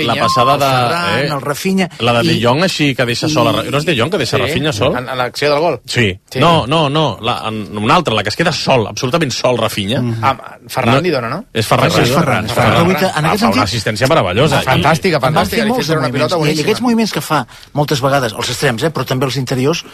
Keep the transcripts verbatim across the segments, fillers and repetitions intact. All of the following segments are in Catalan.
la passada de... El Ferran, eh, el Rafinha... La de i, De Jong així que deixa sol... A, no és De Jong que deixa Sí, Rafinha sol? En, en l'acció del gol. Sí. sí. No, no, no. La, en, una altra, la que es queda sol, absolutament sol, Rafinha. Mm. Ah, Ferran li dona, no? És Ferran. És Ferran. És Ferran. Ferran. En aquest fa una sentit... assistència meravellosa. Fantàstica, fantàstica. Van fer molts Li una pilota moviments, i boníssima. aquests moviments que fa moltes vegades els extrems, eh, però també els interiors,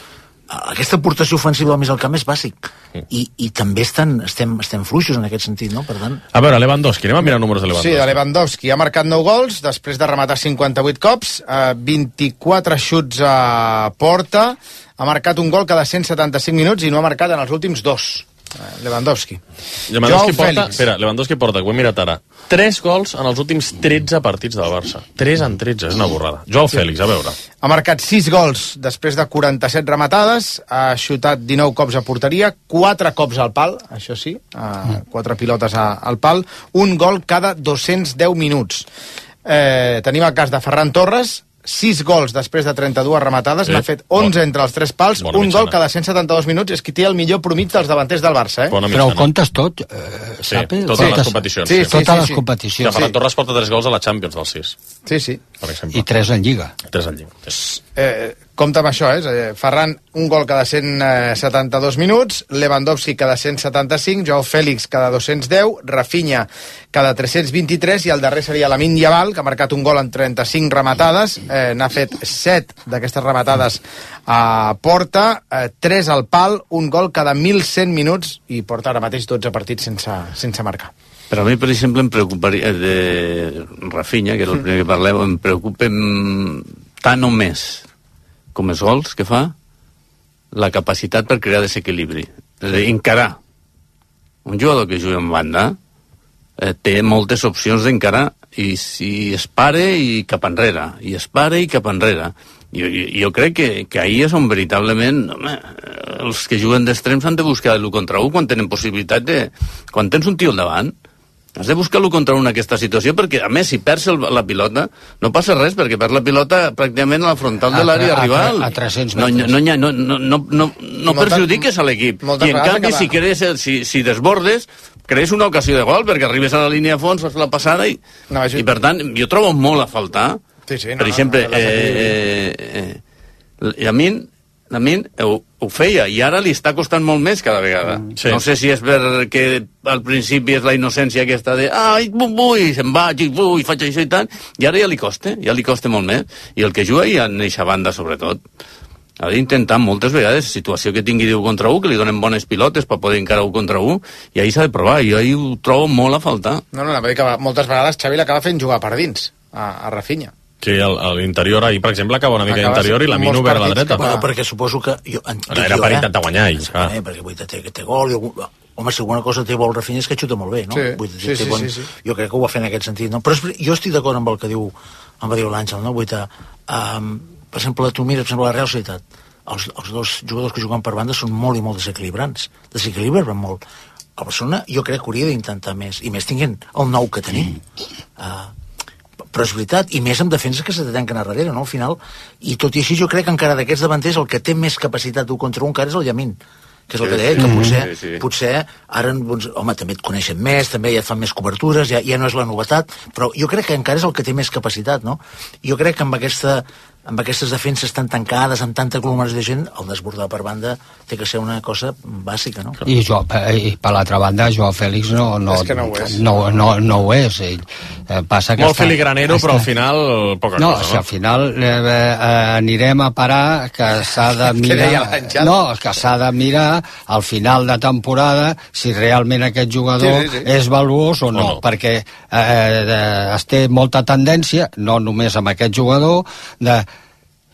aquesta aportació ofensiva al mig del camp és bàsic. I, i també estan, estem, estem fluixos en aquest sentit, no? Per tant... A veure, Lewandowski, anem a mirar números de Lewandowski. Sí, de Lewandowski. Ha marcat nou gols després de rematar cinquanta-vuit cops, eh, vint-i-quatre xuts a porta, ha marcat un gol cada cent setanta-cinc minuts i no ha marcat en els últims dos. Lewandowski. Lewandowski porta, espera, Lewandowski porta, ho he mirat ara, tres gols en els últims tretze partits del Barça. tres en tretze, és una borrada. Joao Félix, a veure. Ha marcat sis gols després de quaranta-set rematades, ha xutat dinou cops a porteria, quatre cops al pal, això sí, quatre pilotes al pal, un gol cada dos-cents deu minuts. Eh, tenim el cas de Ferran Torres, sis gols després de trenta-dues rematades, eh, n'ha fet onze bon, entre els tres pals, un mitjana. Gol cada cent setanta-dos minuts, és qui té el millor promig dels davanters del Barça. Eh? Però ho comptes tot, eh, sí, Sapi? totes sí. les competicions. Sí, sí, sí, totes sí, les sí. competicions. Que Ferran Torres porta tres gols a la Champions dels sis. Sí, sí. Per exemple. I tres en Lliga. Tres en Lliga. Sí. Eh, compte amb això, eh? Ferran, un gol cada cent setanta-dos minuts, Lewandowski cada cent setanta-cinc, Joao Félix cada dos-cents deu, Rafinha cada tres-cents vint-i-tres, i el darrer seria Lamine Yamal, que ha marcat un gol en trenta-cinc rematades, eh, n'ha fet set d'aquestes rematades a porta, eh, tres al pal, un gol cada mil cent minuts, i porta ara mateix dotze partits sense, sense marcar. Però a mi, per exemple, em preocuparia de Rafinha, que era el primer que parleu, em preocupa tant o més com els gols que fa, la capacitat per crear desequilibri. És a dir, encarar. Un jugador que juga en banda eh, té moltes opcions d'encarar, i si es pare i cap enrere, i es pare i cap enrere. Jo, jo, jo crec que, que ahir és on veritablement, home, els que juguen d'extrems han de buscar l'u contra u quan tenen possibilitat de... Quan tens un tio al davant, has de buscar l'u contra u en aquesta situació, perquè, a més, si perds el, la pilota, no passa res, perquè perds la pilota pràcticament a la frontal de l'àrea rival. A tres-cents no, metres. No, no, no, no, no, no perjudiques a l'equip. I, en canvi, si, crees, si, si desbordes, crees una ocasió de gol, perquè arribes a la línia de fons, fas la passada, i, no, i per tant, jo trobo molt a faltar. Sí, sí, no, per exemple, no, no, no, eh, eh, eh, a mi... a mi ho, ho feia, i ara li està costant molt més cada vegada. Sí. No sé si és perquè al principi és la innocència aquesta de ai, vull, se'n vaig, vull, faig això i tant, i ara ja li costa, ja li costa molt més. I el que juga ja en eixa banda, sobretot, ha d'intentar moltes vegades, situació que tingui d'u contra u, que li donen bones pilotes per poder encarar u contra u, i ahir s'ha de provar, i ahir ho trobo molt a faltar. No, no, no, que moltes vegades Xavi l'acaba fent jugar per dins, a, a Rafinha. Sí, a l'interior, ahir, per exemple, acaba una mica d'interior i la Mino obert a la dreta. Bueno, perquè suposo que... Jo, Ara era per eh? intentar guanyar ells. Ah. Eh, perquè vull dir, té, té gol... Jo, home, si alguna cosa té bo el Rafinha és que xuta molt bé, no? Sí, vull dir, sí, sí, bon, sí, sí. Jo crec que ho va fer en aquest sentit, no? Però és, jo estic d'acord amb el que diu, amb el que diu l'Àngel, no? Vull dir, um, per exemple, tu mires, per exemple, la Real Societat, els, els dos jugadors que juguen per banda són molt i molt desequilibrants, desequilibren molt. El Barcelona jo crec que hauria d'intentar més, i més tinguent el nou que tenim. Uh, però és veritat, i més amb defenses que se te tanquen a darrere, no? Al final, i tot i així jo crec que encara d'aquests davanters el que té més capacitat d'un contra un encara és el Llamin, que és el que deia, que potser, sí, sí. potser ara, doncs, home, també et coneixen més, també ja et fan més cobertures, ja, ja no és la novetat, però jo crec que encara és el que té més capacitat, no? Jo crec que amb aquesta amb aquestes defenses tan tancades, amb tanta aglomeració de gent, el desbordar per banda té que ser una cosa bàsica, no? I, jo, i per l'altra banda, Joao Félix no, no, és que no ho és. No, no, no ho és. Ell, eh, passa que molt està, filigranero, està... però al final poca no, cosa, no? No, al final eh, eh, anirem a parar que s'ha de mirar... no, que s'ha de mirar al final de temporada si realment aquest jugador sí, sí, sí. és valuós o no, o no. perquè eh, es té molta tendència, no només amb aquest jugador, de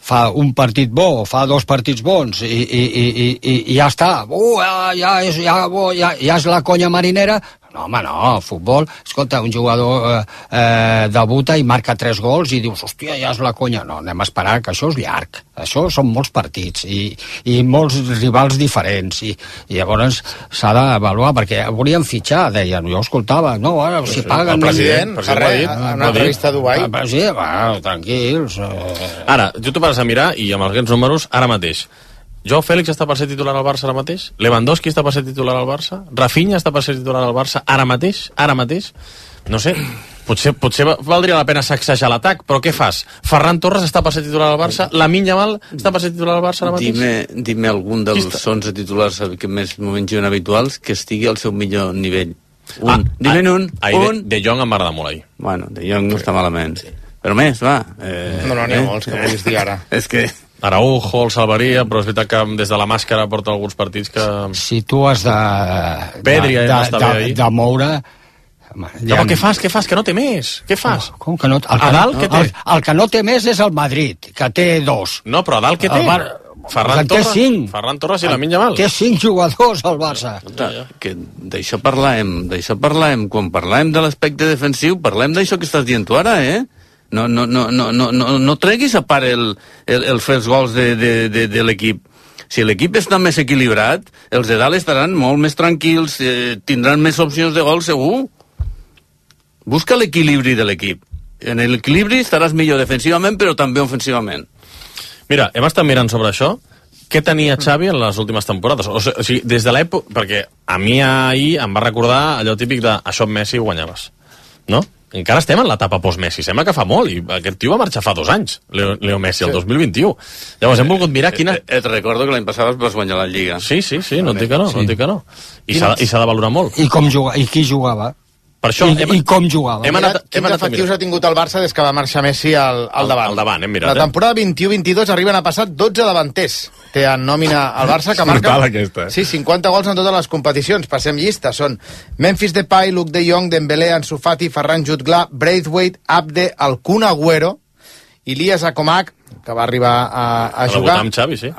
fa un partit bo, fa dos partits bons i, i, i, i, i ja està, uh, ja, ja, és, ja, ja, ja és la conya marinera. No, home, no, futbol, escolta, un jugador eh, eh, debuta i marca tres gols i dius, hòstia, ja és la conya. No, anem a esperar, que això és llarg, això són molts partits i, i molts rivals diferents i, i llavors s'ha d'avaluar, perquè volien fitxar, deien, jo escoltava, no, ara si paguen... El president, no, fa res, en una entrevista a Dubai. El president, bueno, tranquils. Eh... Ara, jo t'ho vas a mirar i amb aquests números, ara mateix, Joao Félix està per ser titular al Barça ara mateix? Lewandowski està per ser titular al Barça? Rafinha està per ser titular al Barça ara mateix? Ara mateix? No sé. Potser, potser valdria la pena sacsejar l'atac, però què fas? Ferran Torres està per ser titular al Barça? Lamine Yamal està per ser titular al Barça ara mateix? Dime, dime algun dels onze titulars que més moments habituals que estigui al seu millor nivell. Un. Ah, Dime un. Ah, un. De, de Jong em va agradar molt ahir. Bueno, De Jong no està malament. Sí. Però més, va. Eh, no, no, n'hi ha eh? molts que puguis dir ara. És que... Araujo el salvaria, però és veritat que des de la màscara porta alguns partits que... Si tu has de... Pedri de, ja de, de, de moure... Home, ja... Però què fas, què fas, que no té més? Què fas? Com, com que no... El, a dalt, què té? El, el que no té més és el Madrid, que té dos. No, però a dalt què té? Bar... Ferran Torres, Ferran Torres i Lamine Yamal. Té cinc jugadors al Barça. Que d'això parlàvem, d'això parlàvem, quan parlàvem de l'aspecte defensiu, parlem d'això que estàs dient tu ara, eh? No, no, no, no, no, no, no treguis a part el, el, el fer els gols de, de, de, de l'equip. Si l'equip està més equilibrat, els de dalt estaran molt més tranquils, eh, tindran més opcions de gol segur. Busca l'equilibri de l'equip. En l'equilibri estaràs millor defensivament, però també ofensivament. Mira, hem estat mirant sobre això. Què tenia Xavi en les últimes temporades? O sigui, des de l'època... Perquè a mi ahir em va recordar allò típic de això amb Messi guanyaves, no? Encara estem en l'etapa post-Messi, sembla que fa molt, i aquest tio va marxar fa dos anys, Leo, Leo Messi, el sí. dos mil vint-i-u. Llavors hem volgut mirar quina... Et, et recordo que l'any passat vas guanyar la Lliga. Sí, sí, sí, no et dic que no, sí. no et dic que no. I s'ha de valorar molt. I com juga, i qui jugava? Per això, I, hem, I com jugava? Hem anat, Quins hem anat efectius ha tingut el Barça des que va marxar Messi al, al davant? Al davant, hem mirat. La temporada vint-i-u vint-i-dos arriben a passar dotze davanters. Té en nòmina al Barça, que marca... aquesta, eh? Sí, cinquanta gols en totes les competicions. Passem llista. Són Memphis Depay, Luke de Jong, Dembélé, Ansu Fati, Ferran Jutgla, Braithwaite, Abde, el Kun Agüero, Ilias Akomak, que va arribar a, a va jugar... Va debutar amb Xavi, sí.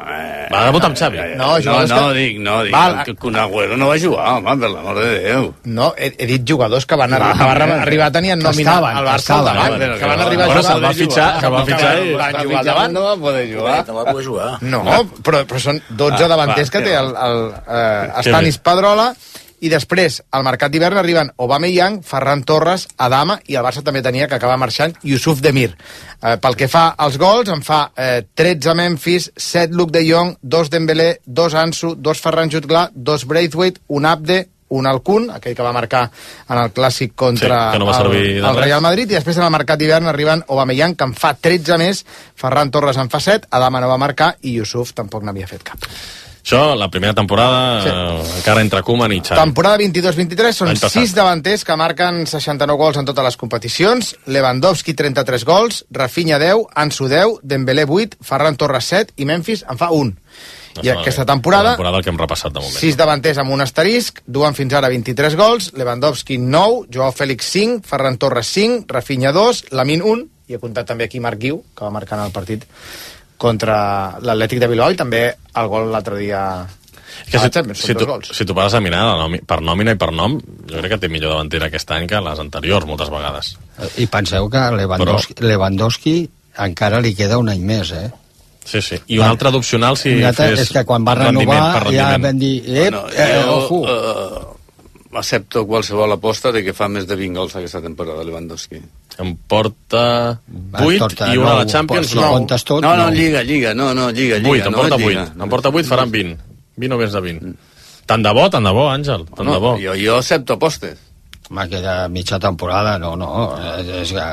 Va debutar amb Xavi. No, no, no, que... dic, no, dic Val. que Kun Agüero no va jugar, home, per l'amor de Déu. No, he, he dit jugadors que van, arri que van arribar a tenir en nòmina al Barça al davant, que, que van arribar a jugar. Que va fitxar, que va fitxar i... Van jugar al davant. No va poder jugar. No va poder jugar. No, però, però són dotze davanters que té el, el uh, Stanis Pedrola. I després, al mercat d'hivern arriben Aubameyang, Ferran Torres, Adama, i el Barça també tenia, que acaba marxant, Yusuf Demir. Eh, pel que fa als gols, en fa eh, tretze Memphis, set Luke de Jong, dos Dembélé, dos Ansu, dos Ferran Jutgla, dos Braithwaite, un Abde, un Alcun, aquell que va marcar en el clàssic contra sí, no el, el Real Madrid, i després en el mercat d'hivern arriben Aubameyang, que en fa tretze més, Ferran Torres en fa set, Adama no va marcar, i Yusuf tampoc n'havia fet cap. Això, la primera temporada, sí. eh, encara entre Koeman i Xavi. Temporada vint-i-dos vint-i-tres són sis davanters que marquen seixanta-nou gols en totes les competicions. Lewandowski, trenta-tres gols, Rafinha, deu, Ansu, deu, Dembélé, vuit, Ferran Torres, set, i Memphis en fa un. No, I aquesta temporada, temporada que hem repassat de moment. sis davanters amb un asterisc, duen fins ara vint-i-tres gols, Lewandowski, nou, Joao Félix, cinc, Ferran Torres, cinc, Rafinha, dos, Lamine, un, i he comptat també aquí Marc Guiu, que va marcar en el partit contra l'Atlètic de Bilbao, i també el gol l'altre dia que si, si, tu, si tu pares a mirar nòmina, per nòmina i per nom, jo crec que té millor davantera aquest any que les anteriors moltes vegades. I penseu que Lewandowski, Però... Lewandowski encara li queda un any més, eh? Sí, sí. I un altre d'opcional si altre, fes és que quan va renovar ja vam dir eh, bueno, eh, jo, uh, accepto qualsevol aposta de que fa més de vint gols aquesta temporada Lewandowski. Em porta vuit i una a la Champions, no. No, no, no, Lliga, Lliga, no, no, Lliga, Lliga. vuit, em porta vuit, em porta vuit, faran vint. vint o més de vint. Tant de bo, tant de bo, Àngel, tant no, de bo. Jo, jo accepto apostes. M'ha queda mitja temporada, no, no, és que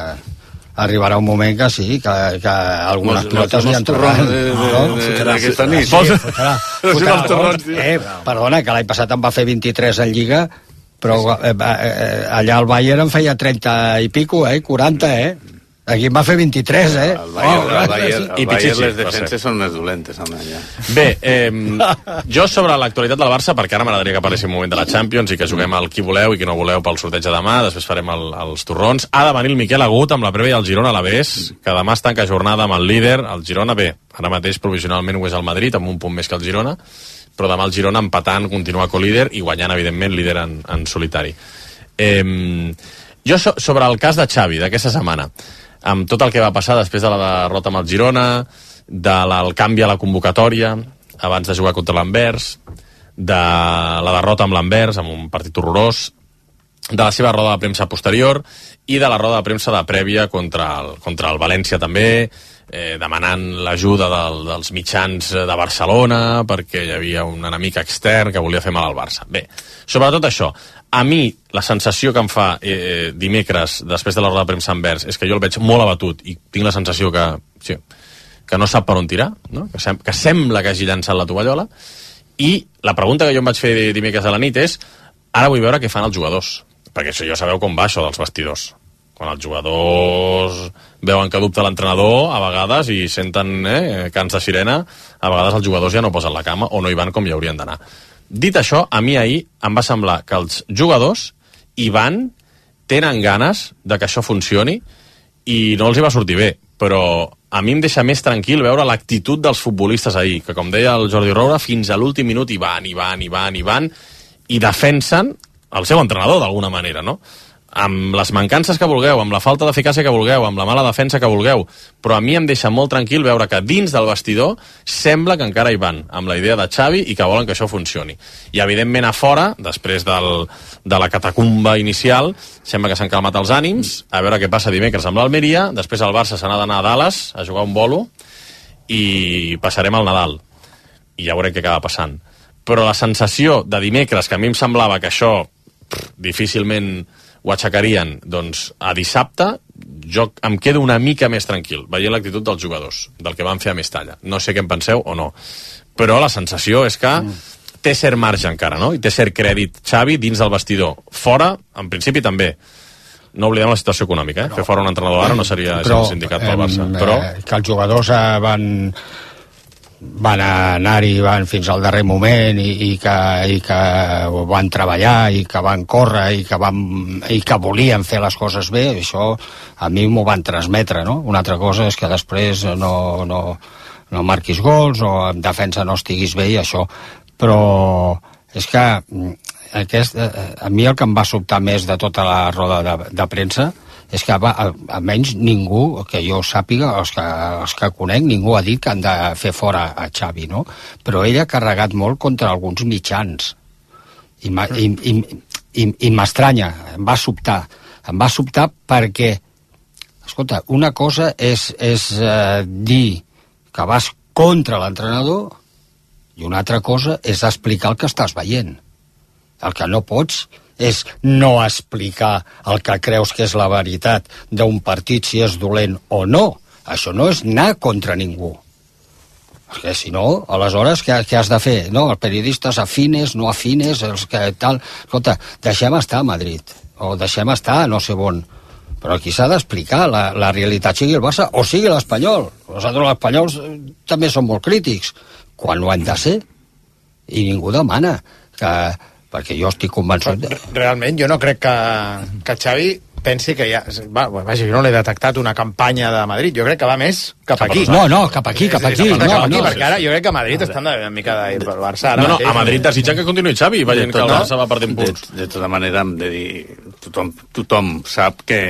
arribarà un moment que sí, que, que algunes pilotes li entraran. Aquesta nit. Eh, perdona, que l'any passat em va fer vint-i-tres en Lliga, però eh, eh, allà al Bayern em feia trenta i pico, eh, quaranta, eh? Aquí em va fer vint-i-tres, eh? El Bayern, oh, el Bayern, el Bayern les defenses són més dolentes, home, ja. Bé, eh, jo sobre l'actualitat del Barça, perquè ara m'agradaria que parléssim un moment de la Champions i que juguem al qui voleu i qui no voleu pel sorteig de demà, després farem el, els torrons. Ha de venir el Miquel Agut amb la prèvia del Girona a l'Avés, que demà es tanca jornada amb el líder, el Girona. Bé, ara mateix provisionalment ho és el Madrid, amb un punt més que el Girona, però demà el Girona empatant continua co-líder i guanyant, evidentment, líder en, en solitari. Eh, jo so, sobre el cas de Xavi d'aquesta setmana, amb tot el que va passar després de la derrota amb el Girona, del canvi a la convocatòria abans de jugar contra l'Anvers, de la derrota amb l'Anvers, amb un partit horrorós, de la seva roda de premsa posterior i de la roda de premsa de prèvia contra el, contra el València també, eh, demanant l'ajuda del, dels mitjans de Barcelona perquè hi havia un enemic extern que volia fer mal al Barça. Bé, sobretot això, a mi la sensació que em fa eh, dimecres després de la roda de premsa Envers és que jo el veig molt abatut i tinc la sensació que, sí, que no sap per on tirar, no? que, sem que sembla que hagi llançat la tovallola, i la pregunta que jo em vaig fer dimecres a la nit és, ara vull veure què fan els jugadors, perquè això ja sabeu com va això dels vestidors. Quan els jugadors veuen que dubta l'entrenador, a vegades, i senten eh, cants de sirena, a vegades els jugadors ja no posen la cama o no hi van com hi haurien d'anar. Dit això, a mi ahir em va semblar que els jugadors hi van, tenen ganes de que això funcioni i no els hi va sortir bé, però a mi em deixa més tranquil veure l'actitud dels futbolistes ahir, que com deia el Jordi Roura, fins a l'últim minut hi van, hi van, hi van, hi van, i defensen el seu entrenador d'alguna manera, no? Amb les mancances que vulgueu, amb la falta d'eficàcia que vulgueu, amb la mala defensa que vulgueu, però a mi em deixa molt tranquil veure que dins del vestidor sembla que encara hi van, amb la idea de Xavi i que volen que això funcioni. I evidentment a fora, després del, de la catacumba inicial, sembla que s'han calmat els ànims, a veure què passa dimecres amb l'Almeria, després el Barça se n'ha d'anar a Dallas a jugar un bolo i passarem al Nadal. I ja veurem què acaba passant. Però la sensació de dimecres, que a mi em semblava que això pff, difícilment ho aixecarien, doncs a dissabte jo em quedo una mica més tranquil veient l'actitud dels jugadors, del que van fer a Mestalla. No sé què en penseu o no, però la sensació és que mm. té cert marge encara, no? I té cert crèdit Xavi dins del vestidor. Fora, en principi també. No oblidem la situació econòmica, eh? Però, fer fora un entrenador ara no seria però, sindicat pel Barça. Eh, però que els jugadors eh, van van anar-hi van fins al darrer moment i, i, que, i que van treballar i que van córrer i que, van, i que volien fer les coses bé, això a mi m'ho van transmetre, no? Una altra cosa és que després no, no, no marquis gols o en defensa no estiguis bé i això, però és que aquest, a mi el que em va sobtar més de tota la roda de, de premsa és que va, almenys ningú, que jo sàpiga, els que, els que conec, ningú ha dit que han de fer fora a Xavi, no? Però ell ha carregat molt contra alguns mitjans. I, i, i, i, i m'estranya, em va sobtar. Em va sobtar perquè, escolta, una cosa és, és eh, dir que vas contra l'entrenador i una altra cosa és explicar el que estàs veient. El que no pots és no explicar el que creus que és la veritat d'un partit, si és dolent o no. Això no és anar contra ningú. Perquè si no, aleshores què, què has de fer? No, els periodistes afines, no afines, els que tal... Escolta, deixem estar a Madrid, o deixem estar a no sé on. Però aquí s'ha d'explicar la, la realitat, sigui el Barça o sigui l'Espanyol. Nosaltres, els espanyols, també som molt crítics, quan ho han de ser. I ningú demana que... perquè jo estic convençut... De... Realment, jo no crec que, que Xavi pensi que ja... Va, vaja, jo no l'he detectat una campanya de Madrid, jo crec que va més cap, cap aquí. No, no, cap aquí, cap aquí. No, no, cap aquí, no, perquè ara jo crec que a Madrid estan una mica de pel Barça. Ara no, no, mateix, a Madrid desitgen que continuï Xavi, veient que el Barça va perdent punts. De, de tota manera, hem de dir... Tothom, tothom sap que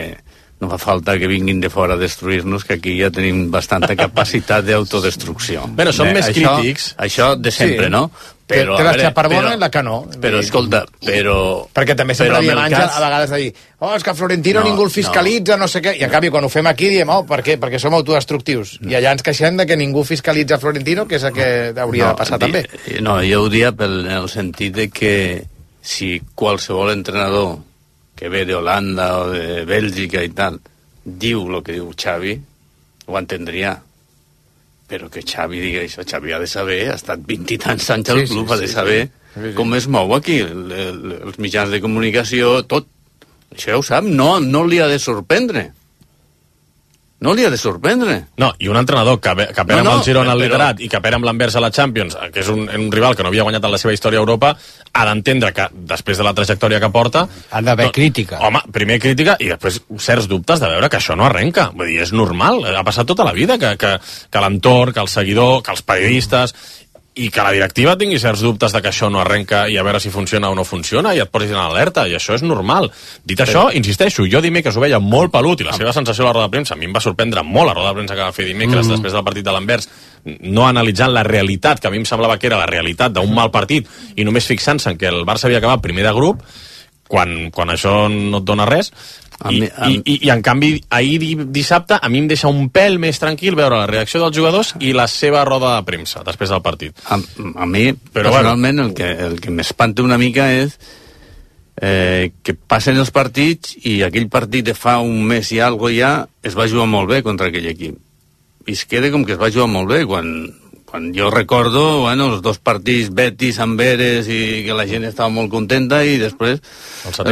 no fa falta que vinguin de fora a destruir-nos, que aquí ja tenim bastanta capacitat d'autodestrucció. Bé, som eh, més això, crítics. Això de sempre, sí. No? Però, té la xaparbona i la que no. Però, escolta, però... Perquè també sempre diem Àngel, cas... a vegades de dir oh, és que Florentino no, ningú el fiscalitza, no. no sé què, i en canvi quan ho fem aquí diem, oh, per què? Perquè som autodestructius. No. I allà ens queixem de que ningú fiscalitza Florentino, que és el que hauria no, de passar di, també. No, jo ho dia pel en el sentit de que si qualsevol entrenador que ve d'Holanda o de Bèlgica i tal, diu el que diu Xavi, ho entendria. Però que Xavi digui això, Xavi ha de saber, ha estat vint i tants anys al sí, club, sí, ha de saber sí, sí. Sí, sí. com es mou aquí, el, el, els mitjans de comunicació, tot. Això ja ho sap, no, no li ha de sorprendre. No li ha de sorprendre. No, i un entrenador que, que perd no, no, amb el Girona al però... liderat i que perd amb l'Anvers a la Champions, que és un, un rival que no havia guanyat en la seva història a Europa, ha d'entendre que, després de la trajectòria que porta... Ha d'haver crítica. Home, primer crítica i després certs dubtes de veure que això no arrenca. Vull dir, és normal, ha passat tota la vida que, que, que l'entorn, que el seguidor, que els periodistes... i que la directiva tingui certs dubtes de que això no arrenca i a veure si funciona o no funciona i et posis en alerta, i això és normal. Dit això, insisteixo, jo dimecres ho veia molt pelut i la seva sensació a la roda de premsa a mi em va sorprendre molt la roda de premsa que va fer dimecres mm. després del partit de l'Anvers, no analitzant la realitat, que a mi em semblava que era la realitat d'un mal partit i només fixant-se en que el Barça havia acabat primer de grup, quan, quan això no et dona res. I, mi, a... i, i, i en canvi ahir dissabte a mi em deixa un pèl més tranquil veure la reacció dels jugadors i la seva roda de premsa després del partit. A, a mi però personalment bueno. el que, el que m'espanta una mica és eh, que passen els partits i aquell partit de fa un mes i algo ja es va jugar molt bé contra aquell equip i es queda com que es va jugar molt bé quan... Quan jo recordo, bueno, els dos partits Betis, Amberes i que la gent estava molt contenta i després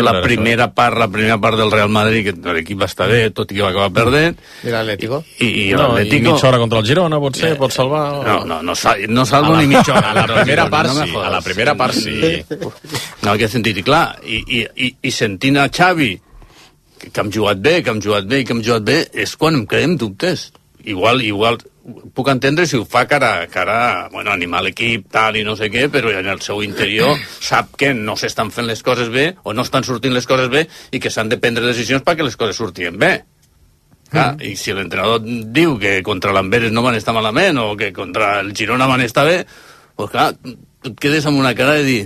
la primera part, la primera part del Real Madrid, que l'equip va estar bé, tot i que va acabar perdent. I l'Atlético? I, i no, l'Atlético... I mitja hora contra el Girona, pot ser, pot salvar... No, no, no, no salvo ni mitja hora. A la primera part sí, a la primera part sí. No, aquest sentit, i clar, i, i, i, i sentint a Xavi, que hem jugat bé, que hem jugat bé i que hem jugat bé, és quan em creem dubtes. Igual, igual... puc entendre si ho fa cara, cara bueno, animar l'equip, tal i no sé què, però en el seu interior sap que no s'estan fent les coses bé o no estan sortint les coses bé i que s'han de prendre decisions perquè les coses sortien bé. Clar, mm. I si l'entrenador diu que contra l'Amberes no van estar malament o que contra el Girona van estar bé, doncs clar, et quedes amb una cara de dir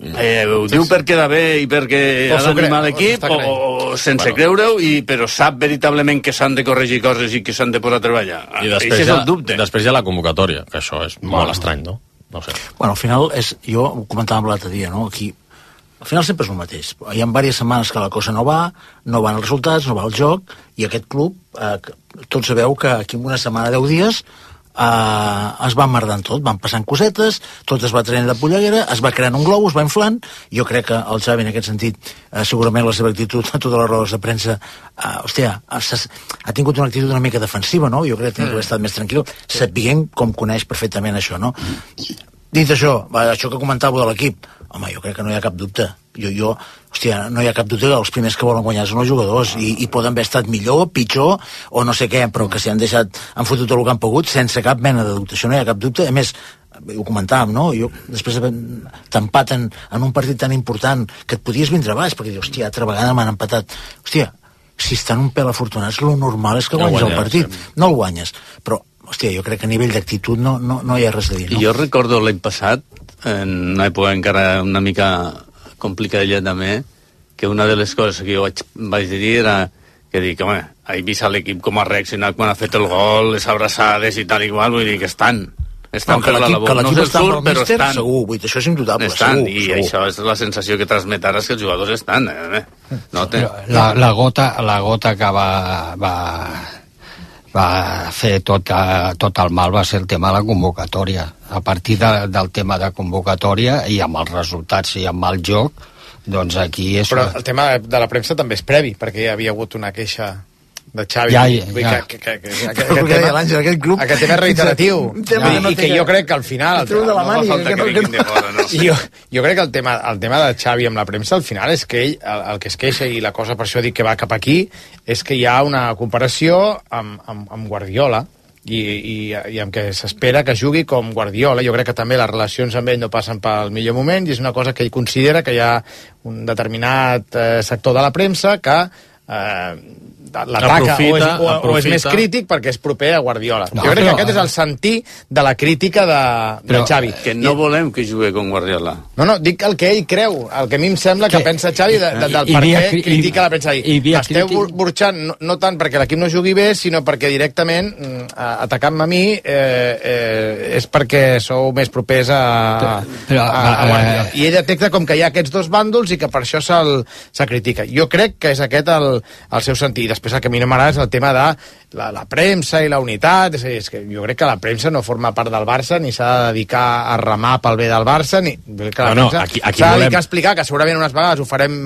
eh, ho diu perquè queda bé i perquè ha d'animar l'equip o, o sense bueno. creure-ho, i, però sap veritablement que s'han de corregir coses i que s'han de posar a treballar. I després, ja, després hi ha la convocatòria, que això és bueno. molt estrany, no? No ho sé. Bueno, al final, és, jo ho comentàvem l'altre dia, no? Aquí, al final sempre és el mateix. Hi ha diverses setmanes que la cosa no va, no van els resultats, no va el joc, i aquest club, eh, tots sabeu que aquí en una setmana, deu dies, Uh, es va emmerdant tot, van passant cosetes, tot es va traient de polleguera, es va creant un globus, va inflant. Jo crec que el Xavi en aquest sentit, uh, segurament la seva actitud a totes les rodes de premsa, uh, hòstia, ha, ha tingut una actitud una mica defensiva, no? Jo crec que hauria estat més tranquil, sabent com coneix perfectament això, no? Dit això, això que comentàveu de l'equip, home, jo crec que no hi ha cap dubte. Jo, jo, hòstia, no hi ha cap dubte que els primers que volen guanyar són els jugadors i, i poden haver estat millor, pitjor o no sé què, però que s'hi han deixat, han fotut tot el que han pogut sense cap mena de dubte. Això no hi ha cap dubte. A més, ho comentàvem, no? Jo, després t'empaten en un partit tan important que et podies vindre baix, perquè dius, hòstia, altra vegada m'han empatat. Hòstia, si estan un pèl afortunats, lo normal és que guanyes el partit. No el guanyes, però hòstia, jo crec que a nivell d'actitud no, no, no hi ha res a dir, no? Jo recordo l'any passat, en una època encara una mica complicadilla també, que una de les coses que jo vaig, vaig dir era que dic, home, he vist a l'equip com ha reaccionat quan ha fet el gol, les abraçades i tal i igual, vull dir que estan estan no, per la labor, no se'l surt, però míster, estan segur, vull dir, això és indubtable, estan, segur, i segur. Això és la sensació que transmet ara, és que els jugadors estan eh? no té... la, la, gota, la gota que va, va, va fer tot, tot el mal va ser el tema de la convocatòria. A partir de, del tema de convocatòria i amb els resultats i amb el joc, doncs aquí és... Però el tema de la premsa també és previ, perquè hi havia hagut una queixa de Xavi. Ja, ja. Que, que, que, que, aquest, tema, aquest, club, aquest tema és reiteratiu. Ja, I, I que jo crec que al final... El, el, de la mani, no que, que, que, que, fora, no? jo, jo crec que el tema, el tema de Xavi amb la premsa, al final, és que ell, el, el que es queixa, i la cosa per això dic que va cap aquí, és que hi ha una comparació amb, amb, amb Guardiola, i, i, i amb què s'espera que jugui com Guardiola. Jo crec que també les relacions amb ell no passen pel millor moment, i és una cosa que ell considera que hi ha un determinat eh, sector de la premsa que eh, l'ataca o, és, o, o és més crític perquè és proper a Guardiola. No, jo crec però, que aquest és el sentir de la crítica de, però, de Xavi. Que no volem que jugui com Guardiola. No, no, dic el que ell creu, el que a mi em sembla que, que pensa Xavi de, de, del per què critica la premsa. Esteu burxant no, no tant perquè l'equip no jugui bé, sinó perquè directament atacant-me a mi eh, eh, és perquè sou més propers a, però, a, a Guardiola. I ell detecta com que hi ha aquests dos bàndols i que per això se'l se critica. Jo crec que és aquest el, el seu sentit. Després el que a mi no m'agrada és el tema de la, la premsa i la unitat. És, és que jo crec que la premsa no forma part del Barça, ni s'ha de dedicar a remar pel bé del Barça, ni que la no, premsa no, aquí, aquí s'ha de volem... dedicar a explicar que segurament unes vegades ho farem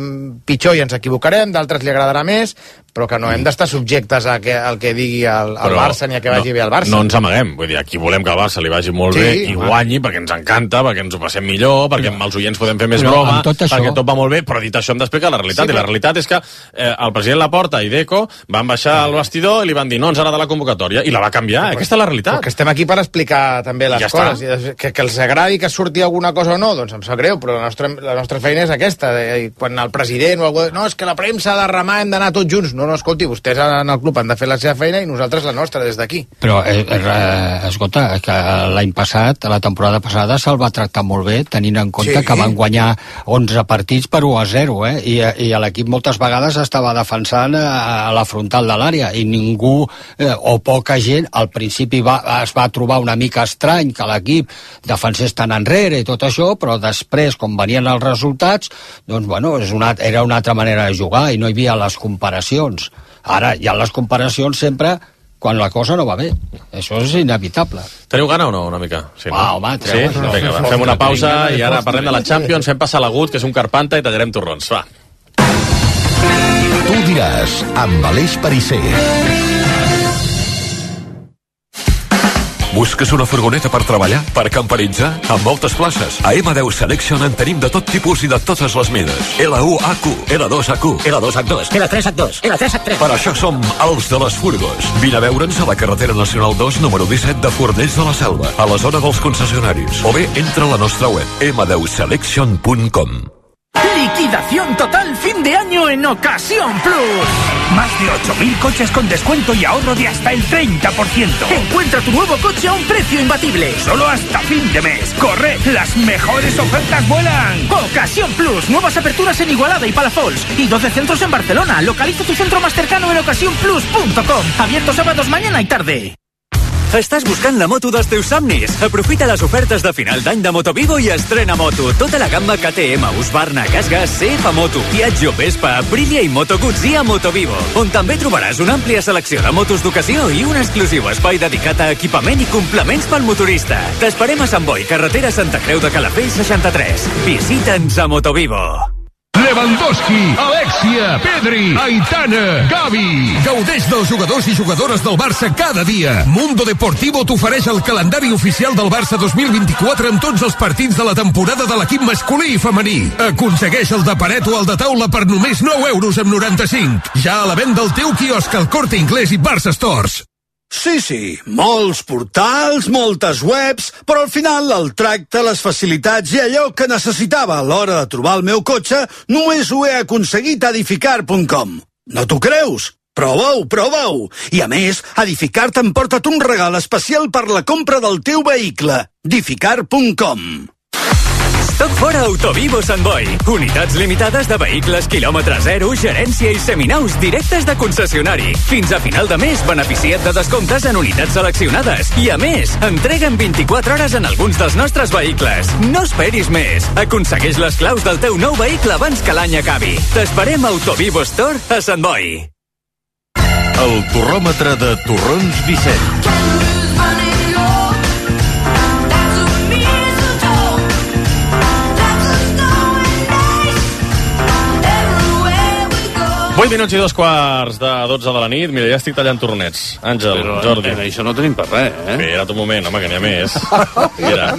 pitjor i ens equivocarem, d'altres li agradarà més, però que no hem d'estar subjectes a que, al que digui el, el Barça ni a que vagi no, bé el Barça. No ens amaguem, vull dir, aquí volem que el Barça li vagi molt sí, bé i home. guanyi, perquè ens encanta, perquè ens ho passem millor, perquè però, amb els oients podem fer més broma, tot això... perquè tot va molt bé, però dit això hem d'explicar la realitat, sí, i la realitat és que eh, el president Laporta i Deco van baixar al vestidor i li van dir dir, no ens agrada la convocatòria, i la va canviar, però, aquesta és la realitat. Perquè estem aquí per explicar també les ja coses, que, que els agradi que surti alguna cosa o no, doncs em sap greu, però la nostra, la nostra feina és aquesta, de, quan el president o algú, no, és que la premsa ha de remar, hem d'anar tots junts, no, no, escolti, vostès en el club han de fer la seva feina i nosaltres la nostra des d'aquí. Però, eh, eh, escolta, que l'any passat, la temporada passada, se'l va tractar molt bé, tenint en compte sí. que van guanyar onze partits per u a zero, eh? I, i l'equip moltes vegades estava defensant a, a la frontal de l'àrea, i ningú, eh, o poca gent, al principi va, es va trobar una mica estrany que l'equip defensés tan enrere i tot això, però després, com venien els resultats, doncs, bueno, és una, era una altra manera de jugar i no hi havia les comparacions. Ara, hi ha les comparacions sempre quan la cosa no va bé. Això és inevitable. Teniu gana o no, una mica? Sí, no? Va, home, treu. Sí? Vinga, va, fem una pausa i ara parlem de la Champions, fem passar l'agut, que és un carpanta, i tallarem torrons. Va. Tu diràs, amb Aleix Pariser. Busques una furgoneta per treballar? Per camperitzar? Amb moltes places. A ema deu Selection en tenim de tot tipus i de totes les mides. L u H Q, L dos H Q, L dos H dos, L tres H dos, L tres H tres. Per això som els de les furgos. Vine a veure'ns a la carretera nacional dos, número disset de Fornells de la Selva, a la zona dels concessionaris. O bé, entra a la nostra web, ema deu selection punt com. Liquidación total fin de año en Ocasión Plus. Más de ocho mil coches con descuento y ahorro de hasta el treinta por ciento. Encuentra tu nuevo coche a un precio imbatible. Solo hasta fin de mes. ¡Corre! ¡Las mejores ofertas vuelan! Ocasión Plus. Nuevas aperturas en Igualada y Palafols. Y doce centros en Barcelona. Localiza tu centro más cercano en ocasión plus punto com. Abierto sábados mañana y tarde. Estàs buscant la moto dels teus somnis? Aprofita les ofertes de final d'any de Motovivo i estrena moto. Tota la gamma K T M, Husqvarna, Gasgas, C F Moto, Piaggio, Vespa, Aprilia i Moto Guzzi a Motovivo, on també trobaràs una àmplia selecció de motos d'ocasió i un exclusiu espai dedicat a equipament i complements pel motorista. T'esperem a Sant Boi, carretera Santa Creu de Calafell seixanta-tres. Visita'ns a Motovivo. Lewandowski, Alexia, Pedri, Aitana, Gavi. Gaudeix dels jugadors i jugadores del Barça cada dia. Mundo Deportivo t'ofereix el calendari oficial del Barça dos mil vint-i-quatre amb tots els partits de la temporada de l'equip masculí i femení. Aconsegueix el de paret o el de taula per només nou euros amb noranta-cinc. Ja a la venda al teu quiosc al Corte Inglés i Barça Stores. Sí, sí, molts portals, moltes webs, però al final el tracte, les facilitats i allò que necessitava a l'hora de trobar el meu cotxe només ho he aconseguit a edificar punt com. No t'ho creus? Prova-ho, prova-ho! I a més, Edificar te'n porta't un regal especial per la compra del teu vehicle. edificar punt com. Stock fora Autovivo Sant Boi. Unitats limitades de vehicles quilòmetre zero, gerència i seminaus directes de concessionari. Fins a final de mes, beneficia't de descomptes en unitats seleccionades. I a més, entrega en vint-i-quatre hores en alguns dels nostres vehicles. No esperis més. Aconsegueix les claus del teu nou vehicle abans que l'any acabi. T'esperem a Autovivo Store a Sant Boi. El torròmetre de Torrons Vicent. vuit minuts i dos quarts de dotze de la nit. Mira, ja estic tallant tornets. Àngel, Però, Jordi. Però això no tenim per res, eh? Espera't un moment, home, que n'hi ha més. Mira,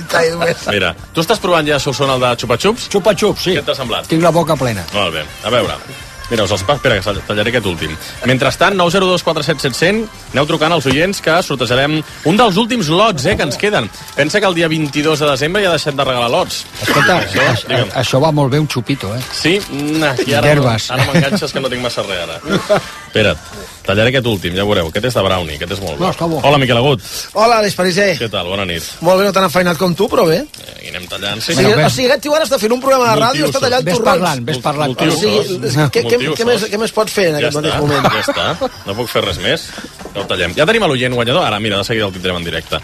mira. Tu estàs provant ja Solsona el de xupa-xups? Xupa-xups, sí. Què t'ha semblat? Tinc la boca plena. Molt bé, a veure. Mira, us els pas, espera, que tallaré aquest últim. Mentrestant, nou zero dos quatre set set zero zero, aneu trucant als oients que sortejarem un dels últims lots, eh, que ens queden. Pensa que el dia vint-i-dos de desembre ja deixem de regalar lots. Escolta, això, això, això va molt bé un xupito, eh? Sí? Nah, i ara, ara m'enganxes que no tinc massa res, ara. Espera't, tallaré aquest últim, ja veureu. Aquest és de brownie, aquest és molt bo. No, està bo. Hola, Miquel Agut. Hola, Aleix Pariser. Què tal? Bona nit. Molt bé, no tan enfeinat com tu, però bé. Eh, I anem tallant. Sí, o sigui, o sigui, aquest tio ara està fent un programa de ràdio i està tallant torrons. Ves parlant, ves parlant. O sigui, què, què, què, més, què més pots fer en ja aquest està, mateix moment? Ja està, no puc fer res més. Ja ho tallem. Ja tenim l'oient guanyador. Ara, mira, de seguida el tindrem en directe.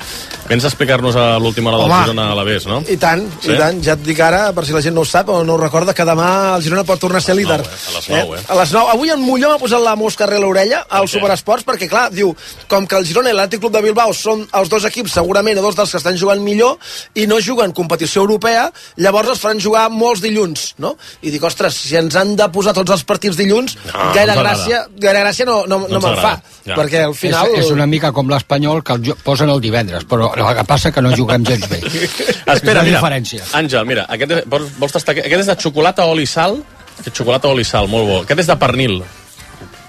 Vens a explicar-nos a l'última hora del Girona a la Vés, no? I tant, sí? i tant. Ja et dic ara, per si la gent no ho sap o no ho recorda, que demà el Girona pot tornar a ser líder. A les nou, eh? A les nou. Avui en Molló m'ha posat la mosca a l'orella al Superesports, perquè, clar, diu, com que el Girona i l'Atlètic Club de Bilbao són els dos equips, segurament, o dos dels que estan jugant millor, i no juguen competició europea, llavors els faran jugar molts dilluns, no? I dic, ostres, si ens han de posar tots els partits dilluns, no, gaire, no gràcia, gaire gràcia no, no, no, no me'n fa, ja. perquè al final... És, és una mica com l'Espanyol, que el posen el divendres, però el que passa que no juguem gens bé. Espera, mira, diferència. Àngel, mira, aquest és, vols, vols tastar, aquest és de xocolata, oli i sal, aquest xocolata, oli i sal, molt bo. Aquest és de pernil.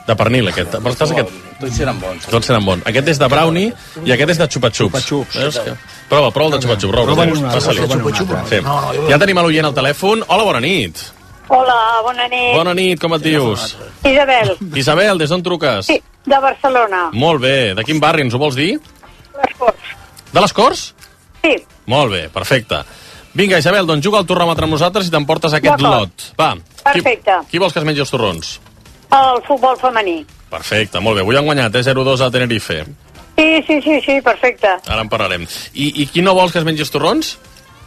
De pernil, aquest. Portes aquest? Tots seran bons. Tots seran bons. Aquest és de brownie i aquest és de xupa-xups. Xupa-xups. Veus que... Prova, prova el de xupa-xups. Prova, passa-li. Sí. Ja tenim a l'oient al telèfon. Hola, bona nit. Hola, bona nit. Bona nit, com et dius? Isabel. Isabel, des d'on truques? Sí, de Barcelona. Molt bé. De quin barri ens ho vols dir? Les Corts. De les Corts? Sí. Molt bé, perfecte. Vinga, Isabel, doncs juga al torròmetre amb nosaltres i t'emportes aquest lot. Va. Perfecte. Qui, qui vols que es mengi els torrons? El futbol femení. Perfecte, molt bé. Avui han guanyat, eh? zero dos a Tenerife. Sí, sí, sí, sí, perfecte. Ara en parlarem. I, i qui no vols que es mengi els torrons?